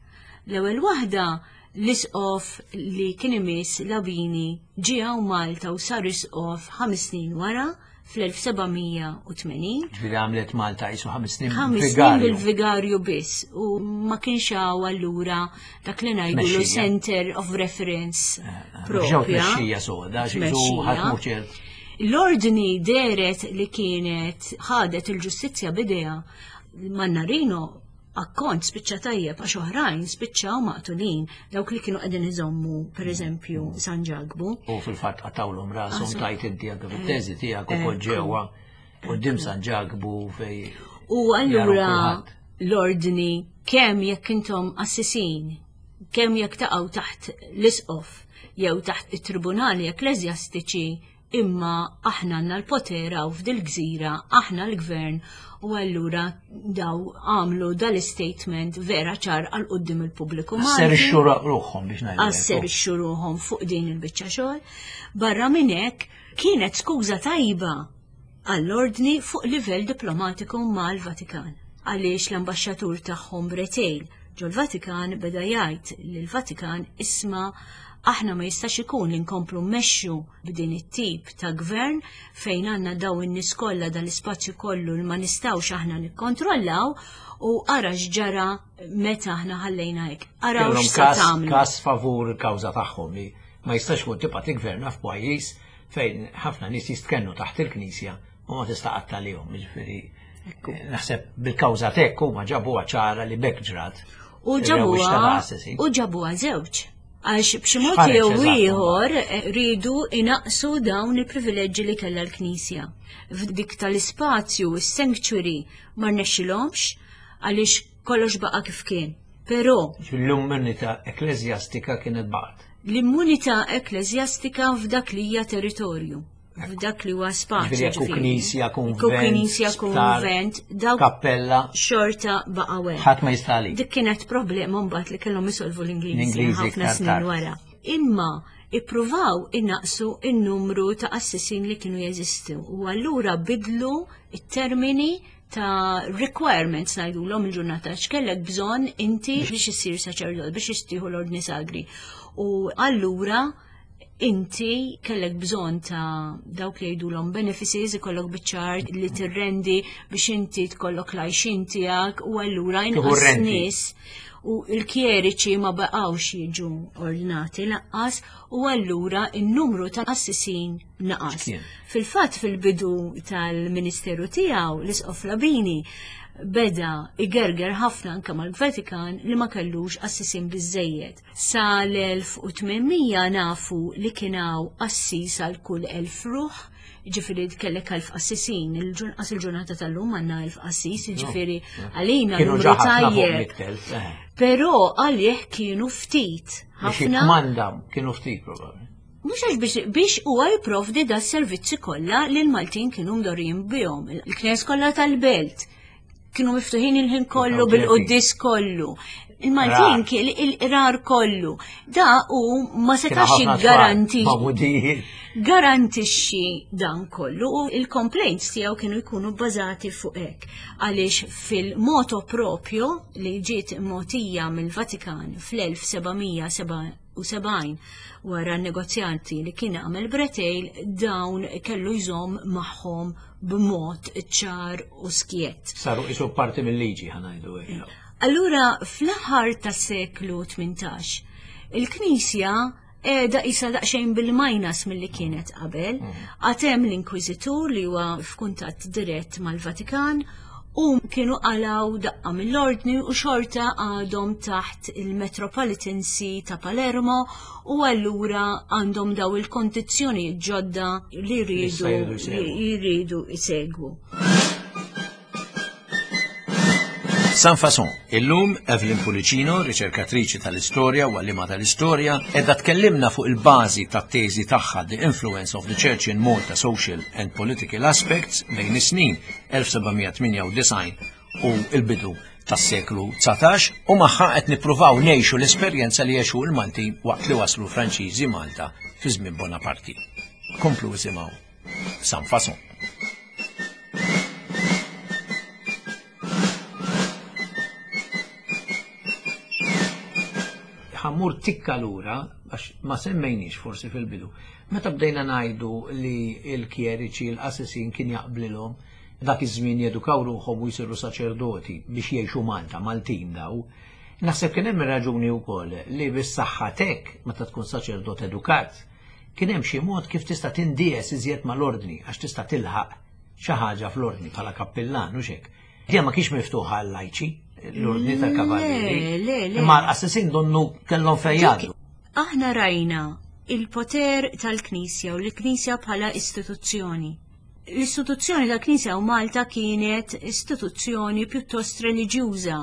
L-ewwel waħda L-isqof li kien imiss Labini ġie hawn Malta u sar isqof ħames snin wara fl-elf seba' mija u tmenin.
Ġifieri għamlet Malta qisu ħames snin
Ħames snin
vigarju.
bil-vigarju biss u ma kienx hawn allura dak li ngħidulu
Tmexxija.
center of reference
Eh, eh,
propja.
Ġew tmexxija soda, xi qisu
Tmexxija.
ħadd mhu ċert.
L-ordni deret li kienet ħadet il-ġustizzja bidejha. Mannarino akkont spiċċa tajjeb għax oħrajn spiċċaw maqtulin dawk li kienu qegħdin iżommu pereżempju San Ġakbu.
U fil-fatt qatawlhom rashom
Asu.
tajt inti anke fit-teżi tiegħek ukoll ġewwa quddiem San Ġakbu fej
U allura
jaraw kulħadd.
l-ordni kemm jekk intom assisin, kemm jekk taqgħu taħt l-isqof jew taħt it-tribunali ekkleżjastiċi, imma aħna għandna l-potera u f'dil-gżira aħna l-gvern, u allura daw għamlu dal-statement vera ċar għal quddiem il-pubbliku Malti.
Asserixxu ruħhom biex ngħidu hekk.
Asserixxu ruħhom fuq din il-biċċa xogħol. Barra minn hekk kienet skuża tajba għall-ordni fuq livell diplomatiku mal-Vatikan. Għaliex l-ambaxxatur tagħhom Breteuil ġol-Vatikan beda jgħid lill-Vatikan isma' aħna ma jistax ikun li nkomplu mmexxu b'din it-tip ta' gvern fejn għandna daw in-nies kollha dal-ispazju kollu li ma nistgħux aħna nikkontrollaw u ara x'ġara meta aħna ħallejna hekk. Araw
Kellhom
x'se
każ-
tagħmlu.
każ favur il-kawża tagħhom li ma jistax ikun tibqa' tigverna f'pajjiż fejn ħafna nies jistkennu taħt il-Knisja u ma tista' qatt għalihom, jiġifieri,
Ekku.
naħseb bil-kawża t'hekk huma ġabuha ċara li bekk ġrat.
U
Il-rewwixta
ġabuha
ta' assassin.
u ġabuha żewġ. Għax b'xi mod
X'ħareġ
jew
eżatt,
ieħor, eh, rridu inaqsu dawn il-privileġġi li kellha l-Knisja. F'dik tal-ispazju, is-sanctuary, ma rnexxilhomx għaliex kollox baqa' kif kien. Però
L-immunità ekkleżjastika kienet baqgħet.
L-immunità ekkleżjastika f'dak li hija territorju, f'dak li huwa spazju.
Ġifieri jekk hu
ġifieri.
knisja,
Jekk hu
kunvent,
knisja,
sptar,
kunvent, dawk
kappella,
xorta baqgħu hekk.
Ħadd ma jista' għalik.
Dik kienet problema mbagħad li kellhom isolvu l-Ingliżi
L-Ingliżi
ħafna
iktar
snin
tard.
wara. Imma ippruvaw innaqsu in-numru ta' assisin li kienu jeżistu u allura bidlu it-termini ta' requirements ngħidulhom il-ġurnata x'kellek bżonn inti biex issir saċerdot, biex istieħu l-ordni sagri. U allura inti kellek bżonn ta' dawk li jgħidulhom benefices, ikollok biċ-ċar li tirrendi biex inti tkollok l-għajxin tiegħek u allura
Tieħu
inqas
renti.
nies u l-kjeriċi ma baqgħux jiġu ordnati lanqas u allura n-numru ta' assisin naqas.
X'kien?
Fil-fatt fil-bidu tal-ministeru tiegħu l-Isqof Labini beda igerger ħafna anke mal-Vatikan li ma kellux assisin biżejjed. Sa l-elf u tmien mija nafu li kien hawn assis għal kull elf ruħ, ġifieri kellek elf assisin, il-ġun-, qas il-ġurnata tal-lum għandna elf assis, ġifieri għalina
Kienu
numru
ġa ħafna fuq
tajjeb.
mitt elf, eh.
Però għalih kienu ftit,
Biex
ħafna.
jikkmanda kienu ftit probabbli.
Mhux għax biex, biex huwa jipprovdi da servizzi kollha li l-Maltin kienu mdorrijin bihom. Il-knes kollha tal-belt kienu miftuħin il-ħin kollu
Kienu
bil-quddis kollu. Il-Maltin
Rar.
kien il-qrar kollu. Da u ma
Kienu
setax
ħafna tfal,
jiggaranti
magħmudijiet.
garantixxi dan kollu u il-complaints tiegħu kienu jkunu bbażati fuq hekk. Għaliex fil-moto proprio li ġiet mogħtija mill-Vatikan fl-elf seba' mija seba' u sebgħin wara n-negozjanti li kien għamel Breteuil, dawn kellu jżomm magħhom b'mod ċar u skjett.
Saru isu parti mill-liġi ħa ngħidu hekk.
Allura fl-aħħar tas-seklu tmintax, il-Knisja qiegħda isa daqsxejn bil-minus milli kienet qabel, għad hemm l-Inkwiżitur li huwa f'kuntatt dirett mal-Vatikan u kienu qalaw daqqa mill-ordni u xorta għadhom taħt il-Metropolitan See ta' Palermo u allura għandhom daw il-kondizzjoni ġodda li jridu
Issa jridu jsegwu.
li jridu jsegwu.
Sans Façon, illum Evelyn Pullicino, riċerkatriċi tal-istorja u għallima tal-istorja, edha tkellimna fuq il-bażi tat-teżi tagħha The Influence of the Church in Malta Social and Political Aspects bejn is-snin elf seba' mija tmienja u disgħin u l-bidu tas-seklu dsatax u magħha qed nippruvaw ngħixu l-esperjenza li għexu l-Maltin waqt li waslu Franċiżi Malta fi żmien Bonaparte. Komplu isimgħu Sans Façon. Ħa mmur Ħa mmur tikka lura, għax ma semmejniex forsi fil-bidu. Meta bdejna ngħidu li l-kjeriċi, l-qassisin kien jaqblilhom dak iż-żmien jedukaw ruħhom u jsiru saċerdoti biex jgħixu Malta, Maltin daw. Naħseb kien hemm raġuni wkoll li bis-saħħa tek meta tkun saċerdot edukat, kien hemm xi mod kif tista' tindies iżjed mal-ordni għax tista' tilħaq xi ħaġa fl-ordni bħala kappillan u xek. Dija ma kienx miftuħa għal-lajċi, l-ordni tal-kavallieri.
Le, le, le.
Imma l-qassisin donnu kellhom fejn jgħaddu.
Aħna rajna il-poter tal-Knisja u l-Knisja bħala istituzzjoni. L-istituzzjoni tal-Knisja u Malta kienet istituzzjoni pjuttost reliġjuża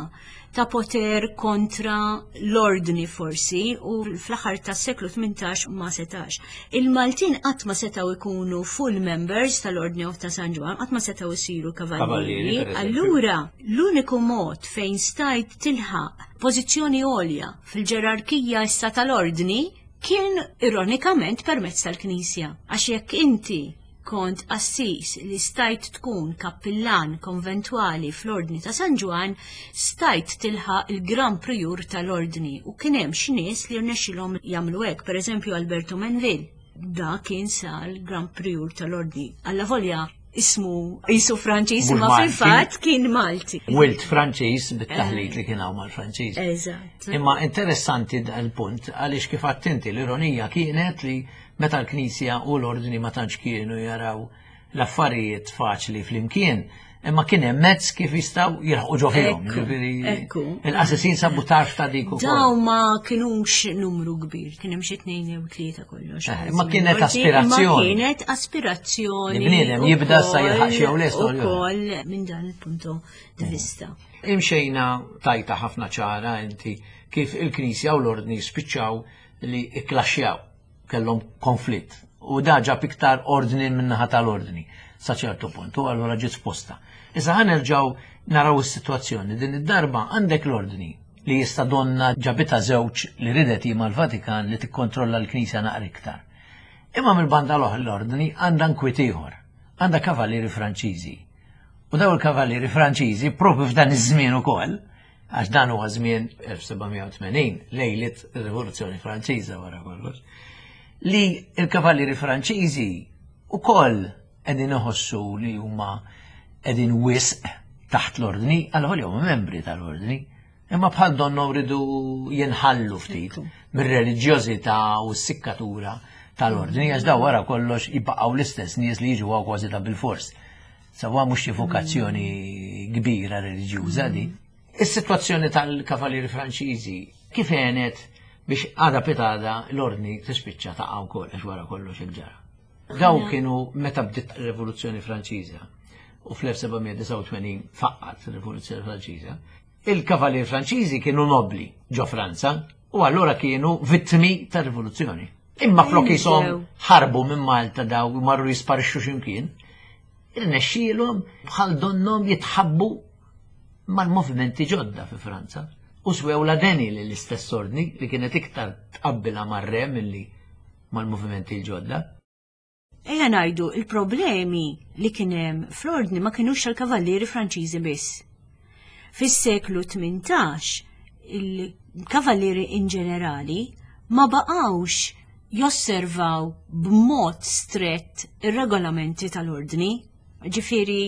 ta' poter kontra l-ordni forsi u fl-aħħar tas-seklu tmintax ma setax. Il-Maltin qatt ma setgħu ikunu full members tal-Ordni of ta' San Ġwann, qatt ma setgħu jsiru
Kavallieri,
kavallieri.
Per eżempju.
Allura l-uniku mod fejn stajt tilħaq pożizzjoni għolja fil-ġerarkija issa tal-ordni kien ironikament permezz tal-Knisja. Għax jekk inti kont qassis li stajt tkun kappillan konventwali fl-Ordni ta' San Ġwann, stajt tilħaq il-Gran Prior tal-Ordni u kien hemm xi nies li rnexxilhom jagħmlu hekk, pereżempju Alberto Menville. Da kien sar Gran Prior tal-Ordni. Alla volja ismu jisu Franċiż,
Mhux
imma
Malti.
Fil-fatt kien Malti.
Wilt Franċiż bit-taħlit li kien hawn mal-Franċiż.
Eżatt.
Imma interessanti dal-punt għaliex kif għedt inti, l-ironija kienet li meta l-Knisja u l-ordni ma tantx kienu jaraw l-affarijiet faċli flimkien, imma kien hemm mezz kif jistgħu jilħqu ġo fihom.
Ekku,
Ġifieri,
ekku.
il-qassisin sabu tarf ta' dik ukoll.
Daw ma kienux numru kbir, kien hemm xi tnejn jew tlieta kollox.
Eh, imma kienet
Imma
aspirazzjoni.
kienet aspirazzjoni.
Li bniedem jibda sa jilħaq xi jew le storja.
Ukoll minn dan il-punto di vista.
Imxejna tajta ħafna ċara inti kif il-Knisja u l-ordni spiċċaw li ikklaxxjaw, kellhom konflitt. U da ġab iktar ordni min-naħa tal-ordni sa ċertu punt, u allura ġiet sposta. Issa ħa nerġgħu naraw is-sitwazzjoni. Din id-darba għandek l-ordni li jista' donna ġabita żewġ li ridet hi mal-Vatikan li tikkontrolla l-Knisja naqra iktar. Imma mill-banda l-oħra l-ordni għandha nkwiet ieħor, għandha kavallieri Franċiżi. U daw il-kavallieri Franċiżi propju f'dan iż-żmien ukoll, għax dan huwa żmien elf seba' mija u tmenin, lejlit ir-Rivoluzzjoni Franċiża wara kollox, li il-kavallieri Franċiżi ukoll qegħdin iħossu li huma qegħdin wisq taħt l-ordni, għal huma membri tal-ordni, imma bħal donnu rridu jinħallu ftit mir-reliġjożità u s-sikkatura tal-ordni, għax daw wara kollox jibqgħu l-istess nies li jiġu għaw kważi ta' bil-fors. Sawa mhux xi vokazzjoni kbira reliġjuża di. Is-sitwazzjoni tal-kavallieri Franċiżi kif għenet biex għada pitgħada l-ordni tispiċċa taqa' wkoll, għax wara kollox hekk ġara? Daw kienu meta bdiet ir-Rivoluzzjoni Franċiża u fl-elf seba' mija disgħa u tmenin faqqat ir-Rivoluzzjoni Franċiża, il-kavallieri Franċiżi kienu nobli ġo Franza u allura kienu vittmi tar-rivoluzzjoni. Imma flok jisom ħarbu minn Malta daw marru jisparixxu x'imkien, irnexxielhom bħal donnom jitħabbu mal-movimenti ġodda fi Franza. U swew la deni li l-istess ordni li kienet iktar tqabbilha mar-re milli mal-movimenti l-ġodda.
Ejja ngħidu, il-problemi li kien hemm fl-ordni ma kienux tal-kavallieri Franċiżi biss. Fis-seklu tmintax il-kavallieri in ġenerali ma baqgħux josservaw b'mod strett ir-regolamenti tal-ordni. Ġifieri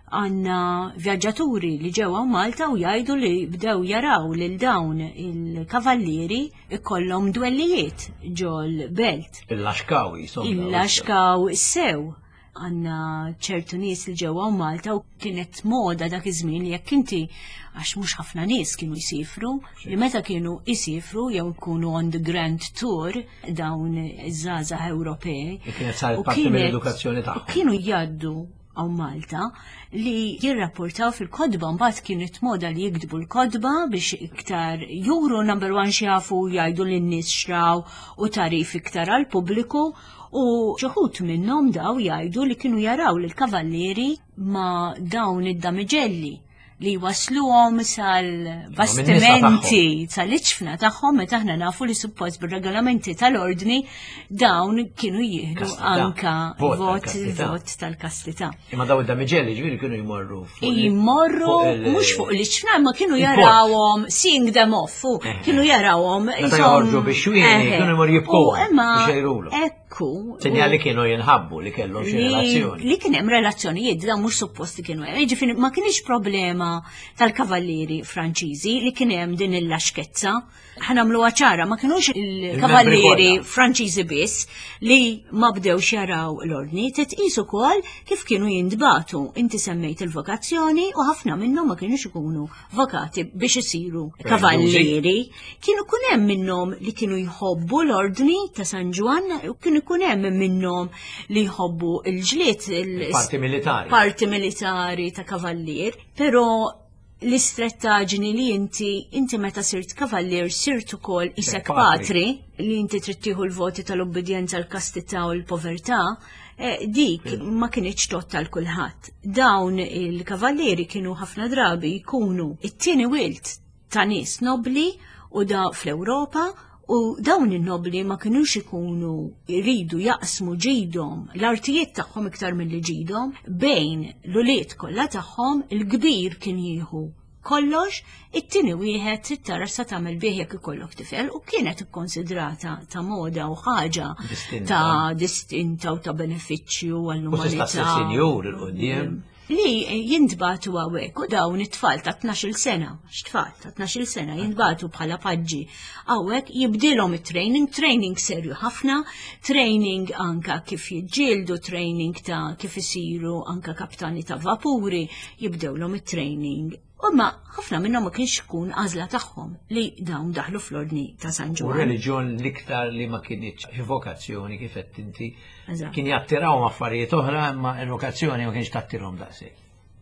għandna vjaġġaturi li ġew Malta u jgħidu li bdew jaraw lil dawn il-kavallieri ikollhom dwellijiet ġol belt.
Il-laxkaw jisom.
Il-laxkaw sew. Għandna ċertu nies li ġew Malta u kienet moda dak iż-żmien li jekk inti, għax mhux ħafna nies kienu jsifru, li meta kienu jsifru jew ikunu on the grand tour dawn iż-żgħażagħ Ewropej.
Kienet saret parti mill-edukazzjoni tagħhom.
Kienu jgħaddu għaw Malta li jirrapportaw fil-kotba, mbagħad kienet moda li jiktbu l-kotba biex iktar juru, number one, xjafu jgħidu lin-nies xraw u tarif iktar għal pubbliku, u xi wħud minnhom daw jgħidu li kienu jaraw l kavallieri ma dawn id-damiġelli li wasluhom sal-bastimenti sal-iċfna tagħhom, meta aħna nafu li suppost bir-regolamenti tal-ordni dawn kienu jieħdu anka vot vot tal-kastità.
Imma daw id-damiġelli ġifieri kienu jmorru
jmorru mhux fuq l-iċfna, imma kienu jarawhom seeing them off, kienu jarawhom
meta joħorġu bix-xwieni kienu jmorru jibku.
Imma ekku.
Sinjali kienu jinħabbu li kellhom xi relazzjoni.
Li kien hemm relazzjonijiet dawn mhux supposti kienu hemm. Jiġifieri ma kienx problema tal-kavallieri Franċiżi li kien hemm din il-laxkezza. Ħa nagħmluha ċara, ma kinux il-kavallieri Franċiżi biss li ma bdewx jaraw l-ordni, titqis ukoll kif kienu jintbatu. Inti semmejt il-vokazzjoni u ħafna minnhom ma kienux ikunu vokati biex isiru kavallieri. Kienu kun hemm minnhom li kienu jħobbu l-ordni ta' San Ġwann, u kienu kun hemm minnhom li jħobbu l-ġlied,
il-parti militari.
Parti militari ta' kavallier, però l-istrettaġni li inti inti meta sirt kavallier sirt ukoll isek patri, li inti trid tieħu l-voti tal-obbedjenza, l-kastità u l-povertà, dik ma kienx tot għal kulħadd. Dawn il-kavallieri kienu ħafna drabi jkunu it-tieni wilt ta' nies nobli u da fl-Ewropa, u dawn in-nobli ma kinux ikunu jridu jaqsmu ġidhom, l-artijiet tagħhom iktar milli ġidhom, bejn l-ulied kollha tagħhom, il-kbir kien jieħu kollox, it-tieni wieħed trid tara sa tagħmel bih jekk ikollok tifel, u kienet ikkonsidrata ta' moda u ħaġa ta' distinta u ta' benefiċċju għall-umanità.
U tista' sinjur il-quddiem.
Li jintbatu għawek, u dawn it-tfal ta' tnax-il sena, x'tfal ta' tnax-il sena jintbatu bħala paġġi għawek, jibdilhom it-training, training serju ħafna, training anka kif jiġġieldu, training ta' kif isiru anka kaptani ta' vapuri, jibdewlhom it-training. U ma ħafna minnhom ma kienx ikun għażla tagħhom li dawn daħlu fl-ordni ta' San Ġwann.
U reliġjon l-iktar li ma kienx vokazzjoni kif qed inti kien jattirawhom affarijiet oħra, imma l-vokazzjoni ma kienx tattirhom daqshekk.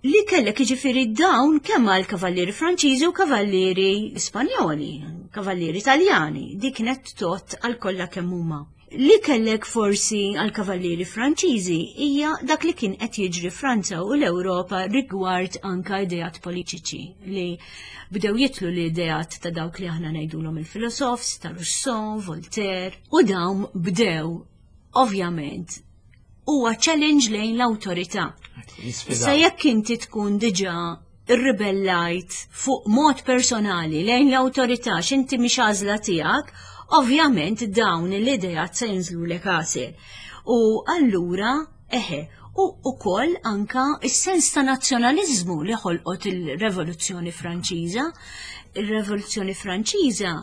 Li kellek jiġifieri dawn kemm għal kavallieri Franċiżi u kavallieri Spanjoli, kavallieri Taljani, dik kienet tot għal kollha kemm huma. Li kellek forsi għal kavallieri Franċiżi hija dak li kien qed jiġri Franza u l-Ewropa rigward anka ideat politiċi li bdew jitlu l-ideat ta' dawk li aħna ngħidulhom il-filosofs, ta' Rousseau, Voltaire, u dawn bdew ovvjament huwa challenge lejn l-awtorità. Issa jekk inti tkun diġà irribellajt fuq mod personali lejn l-awtorità x'inti mhix għażla tiegħek, ovvjament dawn l-idejat se jinżlulek għasel. U allura, eħe, u ukoll anka is-sens ta' nazzjonaliżmu li ħolqot il-Revoluzzjoni Franċiża. Il-Revoluzzjoni Franċiża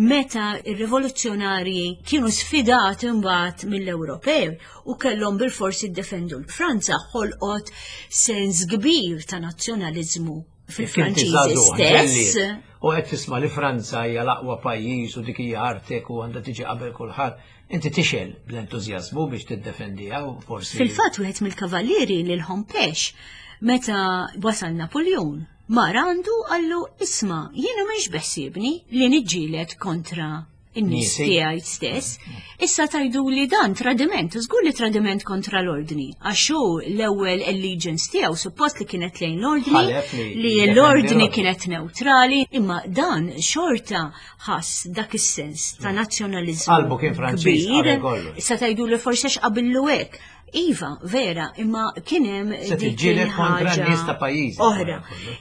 meta ir-rivoluzzjonarji kienu sfidati mbagħad mill-Ewropew u kellhom bilfors jiddefendu l-Franza, ħolqot sens kbir ta' nazzjonaliżmu fil-Franċiżi stess.
U qed tisma' li Franza hija l-aqwa pajjiż u dik hija artek u għandha tiġi qabel kulħadd, inti tixel bl-entużjażmu biex tiddefendiha u forsi.
Fil-fatt wieħed mill-kavallieri lil Hompesch meta wasal Napoleon mar għandu qallu isma' jiena mhix beħsiebni li niġġieled kontra in-nies tiegħi stess. Issa tajdu li dan tradiment, żgur li tradiment kontra l-ordni, għax hu l-ewwel allegiance tiegħu suppost li kienet lejn l-ordni, li l-ordni kienet neutrali, imma dan xorta ħass dak is-sens ta' nazzjonaliżmu.
Qalbu kien Franċiż qabel kollox.
Issa tajdu li forsi għax qabillu hekk. Iva, vera, imma kien hemm
dik kontra n-nies ta' pajjiż.
Oħra.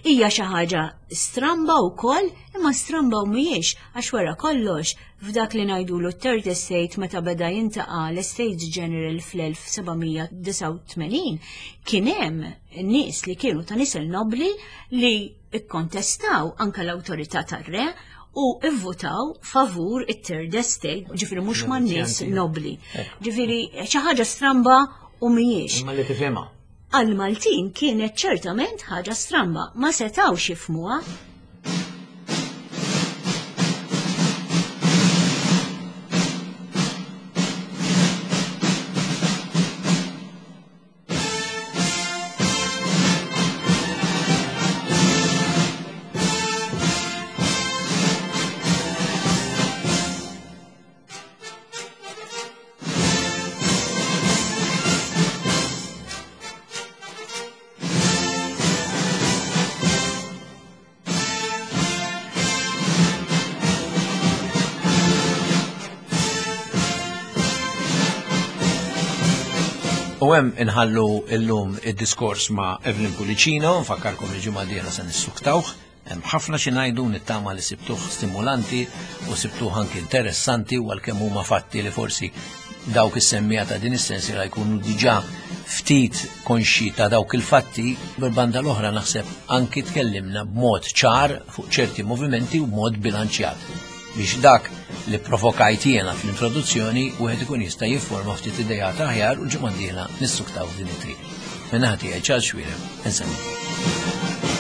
Hija xi ħaġa stramba wkoll, imma stramba u mhijiex, għax wara kollox f'dak li ngħidulu t-Third Estate meta beda jintaqa' l-Estates General fl-elf sebgħamija disgħa u tmenin, kien hemm nies li kienu ta' nisel nobli li kkontestaw anke l-awtorità tar-re u ivvutaw favur it-Third Estate, ġifieri mhux man nies nobli. Ġifieri xi ħaġa stramba u mhijiex.
Imma li tifhimha.
Għal-Maltin kienet ċertament ħaġa stramba, ma setgħux jifhmuha.
U hemm inħallu illum id-diskors ma' Evelyn Pullicino, nfakkarkom il-ġimgħa d-dieħla se nissuktawh. Hemm ħafna xi ngħidu, nittama li sibtuh stimulanti u sibtuh anki interessanti, u għalkemm huma fatti li forsi dawk is-semmiegħa ta' din is-sensiela jkunu diġà ftit konxi ta' dawk il-fatti, bil-banda l-oħra naħseb anki tkellimna b'mod ċar fuq ċerti movimenti u b'mod bilanċjat biex dak li provokajt jiena fl-introduzzjoni wieħed ikun jista' jifforma ftit idejat aħjar, u l-ġimgħa d-dieħla nissuktaw din it-triq. Min-naħa tiegħi, Charles Xuereb, insellmilkom.